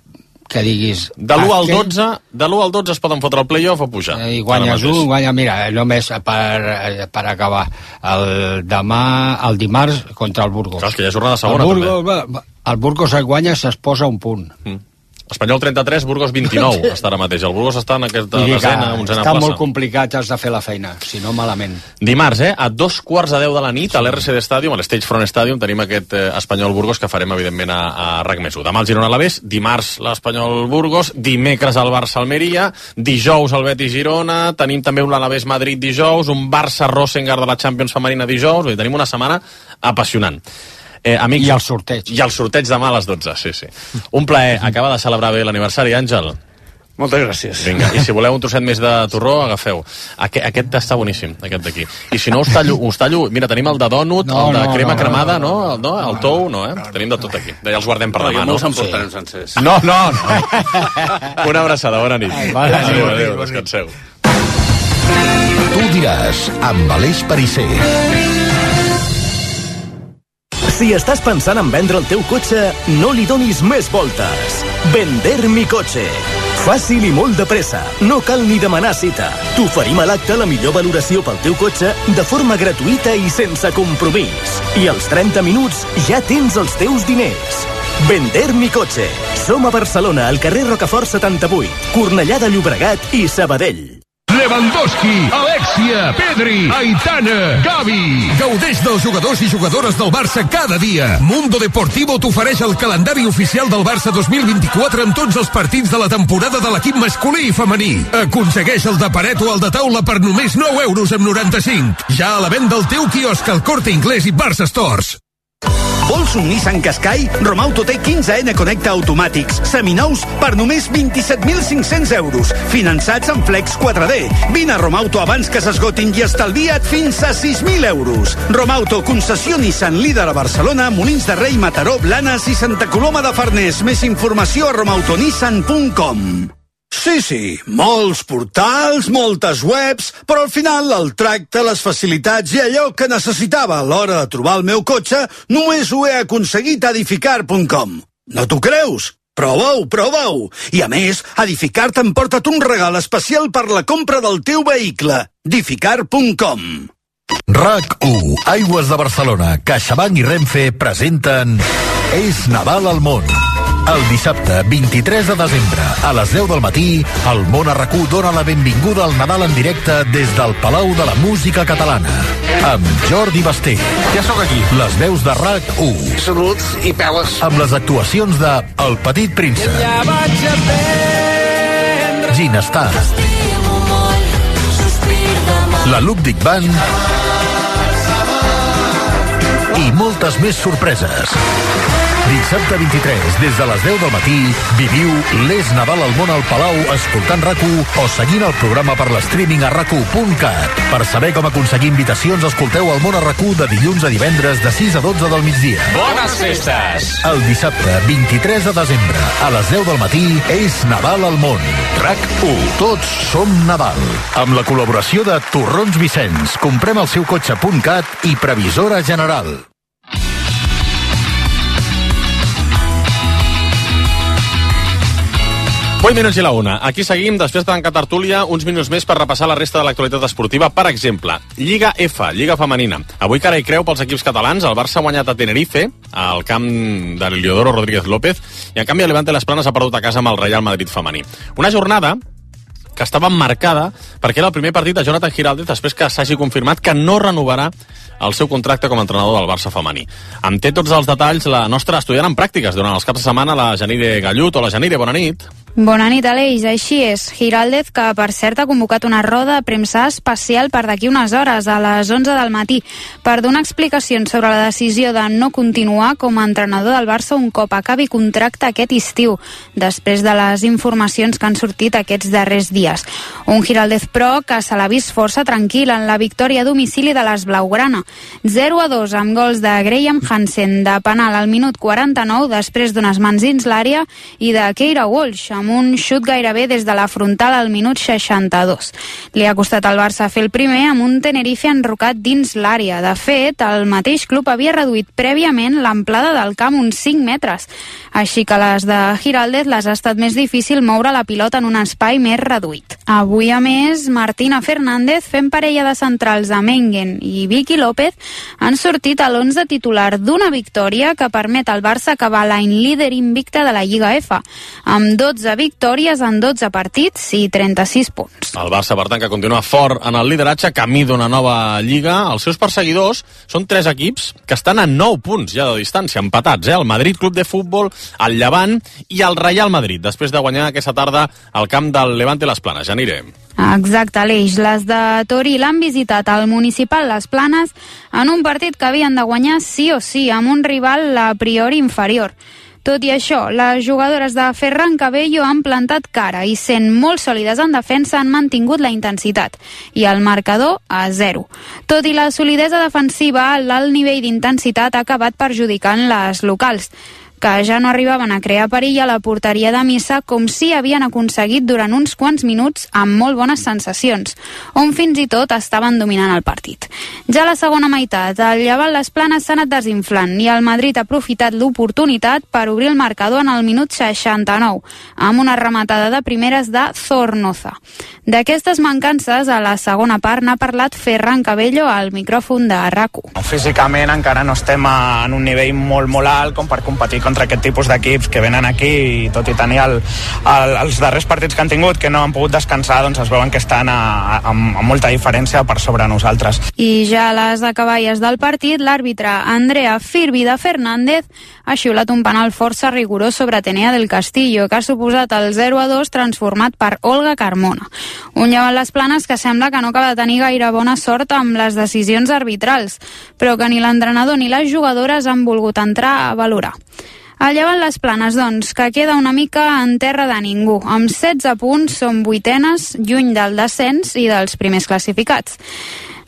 que diguis... De l'u al dotze, de l'u al dotze es poden fotre el play-off o pujar. I guanyes un, guanya, mira, només per, per acabar, el demà, el dimarts contra el Burgos. Clar, és que hi ha jornada segona, el Burgos, també. El Burgos et guanya, se's posa un punt. Mm. Espanyol trenta-tres, Burgos vint-i-nou està ara mateix. El Burgos està en aquesta desena, onzena plaça. Està molt complicat, has de fer la feina, si no malament. Dimarts, eh, a dos quarts de deu de la nit, a l'R C D Stadium, a l'Stage Front Stadium, tenim aquest eh, Espanyol-Burgos que farem, evidentment, a, a RAC més u. Demà el Girona-Alavés, dimarts l'Espanyol-Burgos, dimecres el Barça-Almeria, dijous el Betis-Girona, tenim també un Alavés-Madrid dijous, un Barça-Rosengard de la Champions femenina dijous, vull dir, tenim una setmana apassionant. Eh, amics, I el sorteig. I el sorteig demà a les dotze, sí, sí. Un plaer, acaba de celebrar bé l'aniversari, Àngel. Moltes gràcies. Vinga, i si voleu un trosset més de torró, agafeu. Aquest, aquest està boníssim, aquest d'aquí. I si no, us tallo, us tallo... Mira, tenim el de dònut, no, el de no, crema no, cremada, no, no, no, el tou, no, eh? Tenim de tot aquí. Ja els guardem per no, demà, no? no? No s'emportarem sencers. No, no, no. Una abraçada, bona nit. Ai, vale, adéu, adéu, adéu, descanseu. Tu diràs, amb Aleix Perisser. Si estàs pensant en vendre el teu cotxe, no li donis més voltes. Vender mi cotxe. Fàcil i molt de pressa. No cal ni demanar cita. T'oferim a l'acte la millor valoració pel teu cotxe de forma gratuïta i sense compromís. I als trenta minuts ja tens els teus diners. Vender mi cotxe. Som a Barcelona, al carrer Rocafort setanta-vuit, Cornellà de Llobregat i Sabadell. Lewandowski, Alexia, Pedri, Aitana, Gavi. Gaudeix dels jugadors i jugadores del Barça cada dia. Mundo Deportivo t'ofereix el calendari oficial del Barça dos mil vint-i-quatre amb tots els partits de la temporada de l'equip masculí i femení. Aconsegueix el de paret o el de taula per només nou euros amb noranta-cinc. Ja a la venda al teu quiosc al Corte Inglés i Barça Stores. Vols un Nissan Qashqai? Romauto té quinze ene Connecta automàtics, seminous per només vint-i-set mil cinc-cents euros, finançats en Flex quatre D. Vine a Romauto abans que s'esgotin i estalvia't fins a sis mil euros. Romauto, concessió Nissan, líder a Barcelona, Molins de Rei, Mataró, Blanes i Santa Coloma de Farners. Més informació a romautonissan punt com. Sí, sí, molts portals, moltes webs, però al final el tracte, les facilitats i allò que necessitava a l'hora de trobar el meu cotxe només ho he aconseguit a edificar punt com. No t'ho creus? Prova-ho, prova-ho! I a més, Edificar t'emporta't un regal especial per la compra del teu vehicle. edificar punt com. RAC u, Aigües de Barcelona, CaixaBank i Renfe presenten És Nadal al món. El dissabte vint-i-tres de desembre, a les deu del matí, el Món a RAC u dona la benvinguda al Nadal en directe des del Palau de la Música Catalana. Amb Jordi Basté. Ja sóc aquí. Les veus de RAC u. Salut i peles. Amb les actuacions de El Petit Príncep. Ja vaig aprendre. Ginestar. La Ludwig Band. I moltes més sorpreses. Dissabte vint-i-tres, des de les deu del matí, viviu l'És Nadal al món al Palau escoltant RAC u o seguint el programa per l'streaming a rac u punt cat. Per saber com aconseguir invitacions, escolteu el món a RAC u de dilluns a divendres de sis a dotze del migdia. Bones festes! El dissabte vint-i-tres de desembre, a les deu del matí, és Nadal al món. RAC u. Tots som Nadal. Amb la col·laboració de Torrons Vicenç, comprem el seu cotxe punt cat i Previsora General. vuit minuts i la una. Aquí seguim, després de tancar tertúlia, uns minuts més per repassar la resta de l'actualitat esportiva. Per exemple, Lliga F, Lliga Femenina. Avui cara i creu pels equips catalans. El Barça ha guanyat a Tenerife, al camp de l'Heliodoro Rodríguez López, i en canvi el Levante Las Planes ha perdut a casa amb el Real Madrid femení. Una jornada que estava marcada perquè era el primer partit de Jonathan Giraldez després que s'hagi confirmat que no renovarà el seu contracte com a entrenador del Barça femení. En té tots els detalls la nostra estudiant en pràctiques durant els caps de setmana, la Janire Gallut. Hola, Janire, bona nit. Bona nit, Aleix. Així és. Giraldez, que per cert ha convocat una roda de premsa especial per d'aquí unes hores, a les onze del matí, per donar explicacions sobre la decisió de no continuar com a entrenador del Barça un cop acabi contracte aquest estiu, després de les informacions que han sortit aquests darrers dies. Un Giraldez, però, que se l'ha vist força tranquil en la victòria a domicili de les Blaugrana. zero a dos amb gols de Graham Hansen de penal al minut quaranta-nou després d'unes mans dins l'àrea i de Keira Walsh amb amb un xut gairebé des de la frontal al minut seixanta-dos. Li ha costat al Barça fer el primer amb un Tenerife enrocat dins l'àrea. De fet, el mateix club havia reduït prèviament l'amplada del camp uns cinc metres, així que les de Giraldez les ha estat més difícil moure la pilota en un espai més reduït. Avui, a més, Martina Fernández, fent parella de centrals a Mengen i Vicky López, han sortit a l'onze titular d'una victòria que permet al Barça acabar l'any líder invicte de la Lliga F, amb dotze victòries en dotze partits i trenta-sis punts. El Barça, per tant, que continua fort en el lideratge, camí d'una nova Lliga. Els seus perseguidors són tres equips que estan a nou punts ja de distància, empatats, eh? El Madrid Club de Futbol, el Llevant i el Real Madrid, després de guanyar aquesta tarda al camp del Levante Les Planes. Ja anirem. Exacte, Aleix. Les de Tori l'han visitat al Municipal Les Planes en un partit que havien de guanyar sí o sí, amb un rival a priori inferior. Tot i això, les jugadores de Ferran Cabello han plantat cara i, sent molt sòlides en defensa, han mantingut la intensitat i el marcador a zero. Tot i la solidesa defensiva, l'alt nivell d'intensitat ha acabat perjudicant les locals, que ja no arribaven a crear perill a la porteria de Missa, com si havien aconseguit durant uns quants minuts amb molt bones sensacions, on fins i tot estaven dominant el partit. Ja a la segona meitat, el Llevant Les Planes s'ha anat desinflant i el Madrid ha aprofitat l'oportunitat per obrir el marcador en el minut seixanta-nou, amb una rematada de primeres de Zornoza. D'aquestes mancances, a la segona part n'ha parlat Ferran Cabello al micròfon de RAC u. Físicament encara no estem en un nivell molt, molt alt com per competir contra aquest tipus d'equips que venen aquí i tot i tenir el, el, els darrers partits que han tingut que no han pogut descansar, doncs es veuen que estan a, a, amb molta diferència per sobre nosaltres. I ja a les acaballes del partit, l'àrbitre Andrea Firvida Fernández ha xiulat un penal força rigorós sobre Atenea del Castillo, que ha suposat el zero a dos transformat per Olga Carmona. Un Llevant Les Planes que sembla que no acaba de tenir gaire bona sort amb les decisions arbitrals, però que ni l'entrenador ni les jugadores han volgut entrar a valorar. El Llevant Les Planes, doncs, que queda una mica en terra de ningú. Amb setze punts són vuitenes, lluny del descens i dels primers classificats.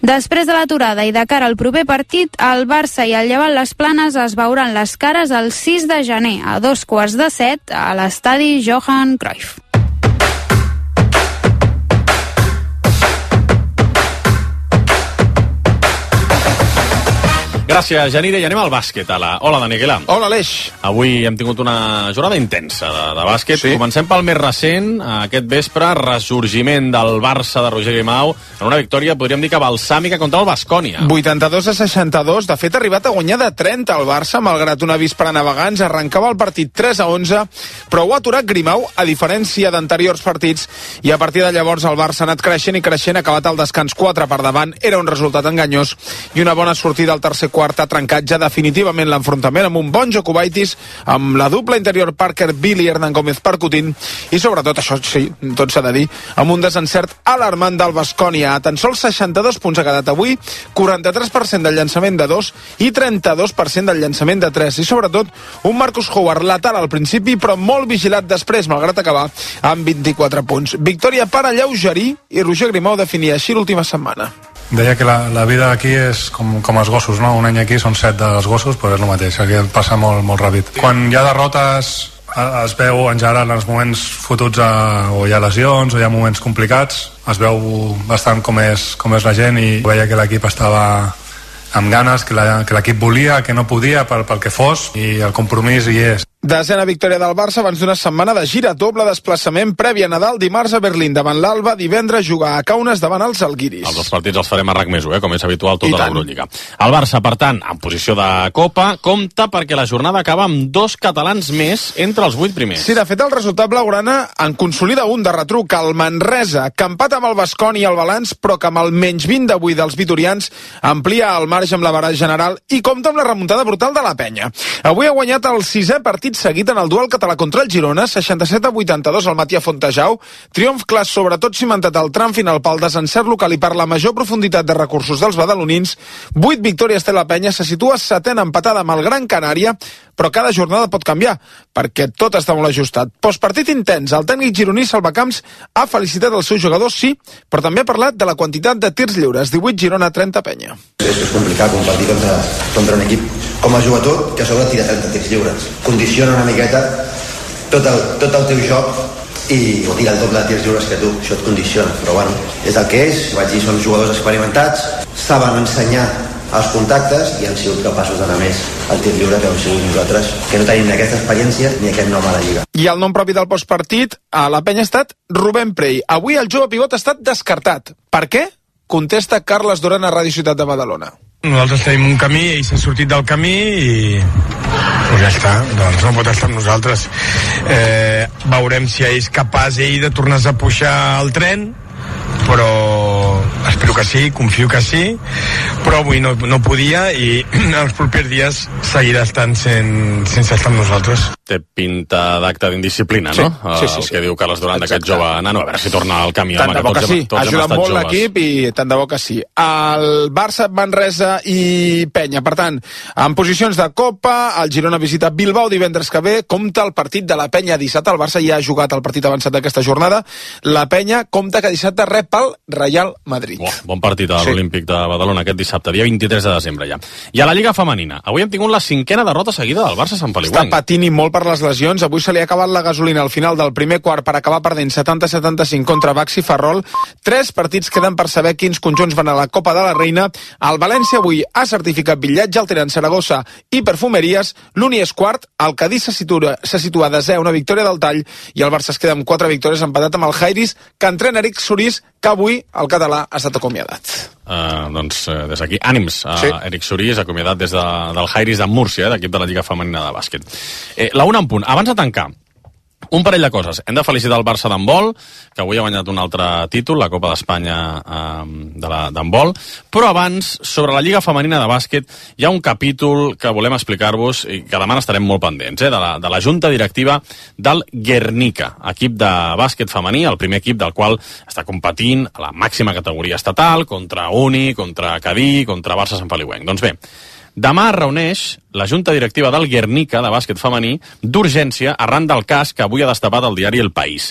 Després de l'aturada i de cara al proper partit, el Barça i el Llevant Les Planes es veuran les cares el sis de gener, a dos quarts de set, a l'estadi Johan Cruyff. Gràcies, Janire. I anem al bàsquet. A la... Hola, Dani Aguilar. Hola, Aleix. Avui hem tingut una jornada intensa de, de bàsquet. Sí. Comencem pel més recent. Aquest vespre, ressorgiment del Barça de Roger Grimau en una victòria, podríem dir que balsàmica contra el Baskonia. vuitanta-dos a seixanta-dos. De fet, ha arribat a guanyar de trenta el Barça, malgrat un avís per a navegants. Arrencava el partit tres a onze, però ho ha aturat Grimau, a diferència d'anteriors partits, i a partir de llavors el Barça ha anat creixent i creixent, ha acabat el descans quatre per davant. Era un resultat enganyós i una bona sortida al tercer quart ha trencat ja definitivament l'enfrontament amb un bon Jokubaitis, amb la dupla interior Parker Bill i Hernan Gómez percutint, i sobretot, això sí, tot s'ha de dir, amb un desencert alarmant del Baskonia. A tan sols seixanta-dos punts ha quedat avui, quaranta-tres per cent del llançament de dos i trenta-dos per cent del llançament de tres, i sobretot un Marcus Howard letal al principi però molt vigilat després, malgrat acabar amb vint-i-quatre punts. Victòria per alleugerir, i Roger Grimau definia així l'última setmana. Deia que la, la vida aquí és com, com els gossos, no? Un any aquí són set dels gossos, però és el mateix, aquí passa molt, molt ràpid. Quan hi ha derrotes es veu en general en els moments fotuts a, o hi ha lesions o hi ha moments complicats, es veu bastant com és, com és la gent, i veia que l'equip estava amb ganes, que l'equip volia, que no podia pel, pel que fos, i el compromís hi és. Desena victòria del Barça abans d'una setmana de gira, doble desplaçament previ a Nadal, dimarts a Berlín davant l'Alba, divendres jugar a Kaunas davant els Alguiris. Els dos partits els farem a RAC més u, eh, com és habitual tota l'Eurolliga. El Barça, per tant, en posició de Copa, compta perquè la jornada acaba amb dos catalans més entre els vuit primers. Sí, de fet, el resultat blaugrana en consolida un de retruc, el Manresa, que empata amb el Baskonia i el balanç, però que amb el menys vint d'avui dels vitorians amplia el marge amb la barra general i compta amb la remuntada brutal de la Penya. Avui ha guanyat el sisè partit seguit en el duel català contra el Girona, seixanta-set a vuitanta-dos al matí a Fontejau, triomf clar sobretot cimentat al tram final pel desencert local i per la major profunditat de recursos dels badalonins. Vuit victòries té la Penya, se situa setena empatada amb el Gran Canària, però cada jornada pot canviar, perquè tot està molt ajustat. Postpartit intens, el tècnic gironí Salvacamps ha felicitat els seus jugadors, sí, però també ha parlat de la quantitat de tirs lliures, divuit Girona, trenta Penya. És complicat competir contra, contra un equip com a jugador que a sobre tira trenta tirs lliures. Condiciona una miqueta tot el, tot el teu joc i o tira el doble de tirs lliures que tu, això et condiciona, però bueno, és el que és, vaig dir, són jugadors experimentats, saben ensenyar els contactes i han sigut capaços d'anar més al tir lliure que heu sigut nosaltres, que no tenim ni aquesta experiència ni aquest nom a la Lliga. I el nom propi del postpartit a la penya ha estat Rubén Prey. Avui el jove pivot ha estat descartat. Per què? Contesta Carles Duran a Ràdio Ciutat de Badalona. Nosaltres tenim un camí, ell s'ha sortit del camí i pues ja està, doncs no pot estar amb nosaltres. Eh, veurem si és capaç ell de tornar-se a pujar al tren, però espero que sí, confio que sí, però avui no, no podia i els propers dies seguirà estant sen, sense estar amb nosaltres. Té pinta d'acte d'indisciplina, sí, no? Sí, sí, el sí. que diu Carles Duran d'aquest jove nano, a veure si torna al camí. Tant home, de bo que, que sí, tots ajuda hem molt joves. l'equip i tant de bo que sí. El Barça, Manresa i Penya. Per tant, en posicions de Copa, el Girona visita Bilbao divendres que ve, compta el partit de la Penya dissabte. El Barça ja ha jugat el partit avançat d'aquesta jornada. La Penya compta que dissabte rep el Real Madrid. Oh, bon partit a Sí. l'Olímpic de Badalona aquest dissabte, dia vint-i-tres de desembre ja. I a la Lliga Femenina, avui hem tingut la cinquena derrota seguida del Barça Sant Feliu. Està patint i molt per les lesions. Avui se li ha acabat la gasolina al final del primer quart per acabar perdent setanta a setanta-cinc contra Baxi Ferrol. Tres partits queden per saber quins conjunts van a la Copa de la Reina. El València avui ha certificat bitllatge, el tenen Saragossa i Perfumeries. L'Uni és quart, el Cadí se situa, se situa a desè, una victòria del Tall, i el Barça es queda amb quatre victòries, empatat amb el Jairis, que entrena Eric Surís, que avui el català ha estat acomiadat. Uh, doncs uh, des d'aquí, ànims a Sí. Eric Surís, acomiadat des de, del Jairis de Múrcia, eh, d'equip de la Lliga Femenina de Bàsquet. Eh, la una en punt. Abans de tancar, un parell de coses. Hem de felicitar el Barça d'handbol, que avui ha guanyat un altre títol, la Copa d'Espanya eh, de la- d'handbol, però abans, sobre la Lliga Femenina de Bàsquet, hi ha un capítol que volem explicar-vos i que demà estarem molt pendents, eh, de, la, de la Junta Directiva del Guernica, equip de bàsquet femení, el primer equip del qual està competint a la màxima categoria estatal, contra Uni, contra Cadí, contra Barça Sant Feliuenc. Doncs bé, demà es reuneix la Junta Directiva del Guernica, de bàsquet femení, d'urgència arran del cas que avui ha destapat el diari El País.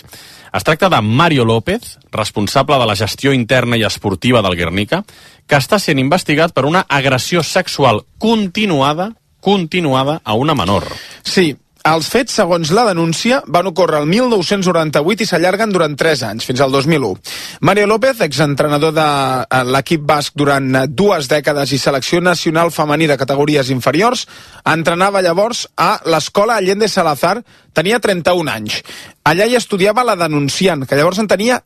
Es tracta de Mario López, responsable de la gestió interna i esportiva del Guernica, que està sent investigat per una agressió sexual continuada, continuada a una menor. Sí, els fets, segons la denúncia, van ocórrer el mil nou-cents noranta-vuit i s'allarguen durant tres anys, fins al dos mil u. Mario López, exentrenador de eh, l'equip basc durant eh, dues dècades i selecció nacional femení de categories inferiors, entrenava llavors a l'escola Allende Salazar, tenia trenta-un anys. Allà hi estudiava la denunciant, que llavors en tenia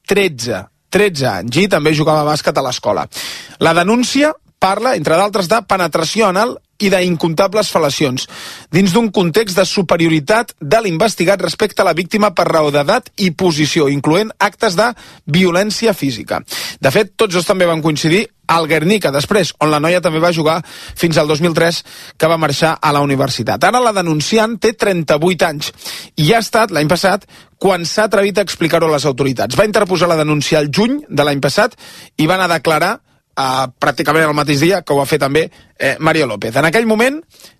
tretze, tretze anys, i també jugava a bàsquet a l'escola. La denúncia parla, entre d'altres, de penetració anal i d'incomptables fel·lacions, dins d'un context de superioritat de l'investigat respecte a la víctima per raó d'edat i posició, incloent actes de violència física. De fet, tots dos també van coincidir al Guernica, després, on la noia també va jugar fins al dos mil tres, que va marxar a la universitat. Ara la denunciant té trenta-vuit anys i ha estat, l'any passat, quan s'ha atrevit a explicar-ho a les autoritats. Va interposar la denúncia al juny de l'any passat i van a declarar Uh, pràcticament el mateix dia que ho va fer també eh, Mario López. En aquell moment,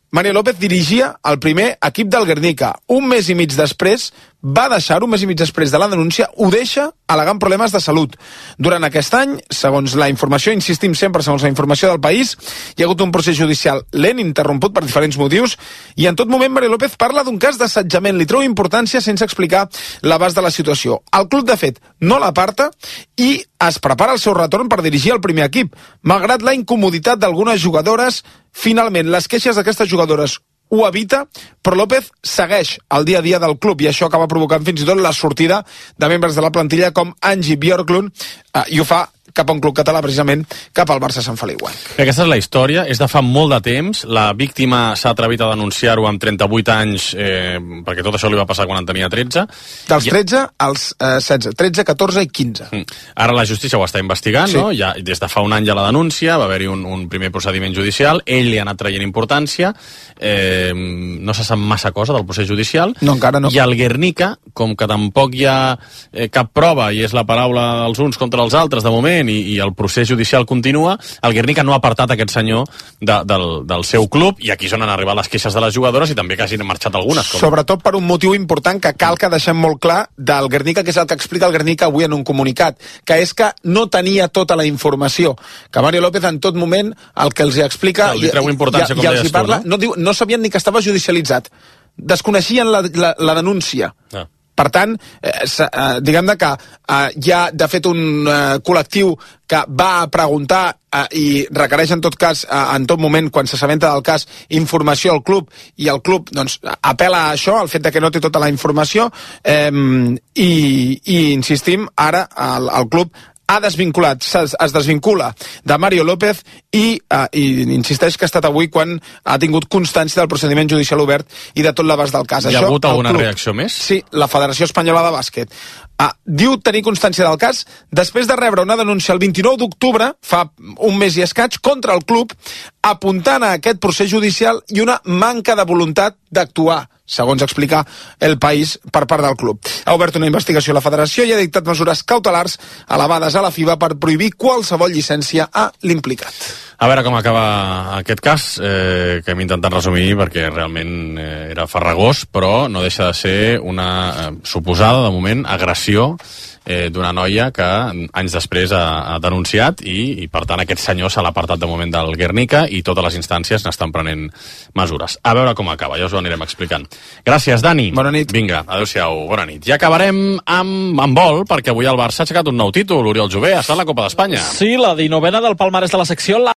Mario López dirigia el primer equip del Guernica. Un mes i mig després, va deixar, un mes i mig després de la denúncia, ho deixa al·legant problemes de salut. Durant aquest any, segons la informació, insistim sempre segons la informació del País, hi ha hagut un procés judicial lent, interromput per diferents motius, i en tot moment Mario López parla d'un cas d'assetjament. Li treu importància sense explicar l'abast de la situació. El club, de fet, no l'aparta i es prepara el seu retorn per dirigir el primer equip. Malgrat la incomoditat d'algunes jugadores, finalment les queixes d'aquestes jugadores ho evita, però López segueix el dia a dia del club i això acaba provocant fins i tot la sortida de membres de la plantilla com Angie Björklund, eh, i ho fa cap a un club català, precisament, cap al Barça Sant Feliuenc. Aquesta és la història, és de fa molt de temps, la víctima s'ha atrevit a denunciar-ho amb trenta-vuit anys, eh, perquè tot això li va passar quan en tenia tretze. Dels tretze als eh, setze, tretze, catorze i quinze. Ara la justícia ho està investigant, Sí. no? Ja, des de fa un any ja la denúncia, va haver-hi un, un primer procediment judicial, ell li ha anat traient importància, eh, no se sap massa cosa del procés judicial, no, encara no. I el Guernica, com que tampoc hi ha eh, cap prova i és la paraula dels uns contra els altres de moment, i, i el procés judicial continua, el Guernica no ha apartat aquest senyor de, del, del seu club, i aquí és on han arribat les queixes de les jugadores i també que hagin marxat algunes. Com... Sobretot per un motiu important que cal que deixem molt clar del Guernica, que és el que explica el Guernica avui en un comunicat, que és que no tenia tota la informació, que Mario López en tot moment el que els explica Li treu importància, i, com i els deies hi parla, tu, no? no, diu, no sabien ni que estava judicialitzat, desconeixien la, la, la denúncia. Ah. Per tant, eh, eh, diguem que eh, hi ha, de fet, un eh, col·lectiu que va preguntar eh, i requereix en tot cas, eh, en tot moment, quan s'assabenta del cas, informació al club, i el club doncs, apel·la a això, al fet de que no té tota la informació, eh, i, i insistim, ara el, el club ha desvinculat, es, es desvincula de Mario López i, uh, i insisteix que ha estat avui quan ha tingut constància del procediment judicial obert i de tot l'abast del cas. Hi ha Això, hagut alguna club, reacció més? Sí, la Federació Espanyola de Bàsquet uh, diu tenir constància del cas després de rebre una denúncia el vint-i-nou d'octubre, fa un mes i escaig, contra el club, apuntant a aquest procés judicial i una manca de voluntat d'actuar, segons explica El País per part del club. Ha obert una investigació a la federació i ha dictat mesures cautelars elevades a la FIBA per prohibir qualsevol llicència a l'implicat. A veure com acaba aquest cas, eh, que hem intentat resumir perquè realment eh, era farragós, però no deixa de ser una eh, suposada, de moment, agressió eh, d'una noia que anys després ha, ha denunciat i, i per tant aquest senyor se l'ha apartat de moment del Guernica i totes les instàncies n'estan prenent mesures. A veure com acaba, ja us ho anirem explicant. Gràcies, Dani. Bona nit. Vinga, adéu-siau, bona nit. I acabarem amb, amb vol, perquè avui el Barça ha aixecat un nou títol, Oriol Jové, ha estat la Copa d'Espanya. Sí, la dinovena del palmarès de la secció, la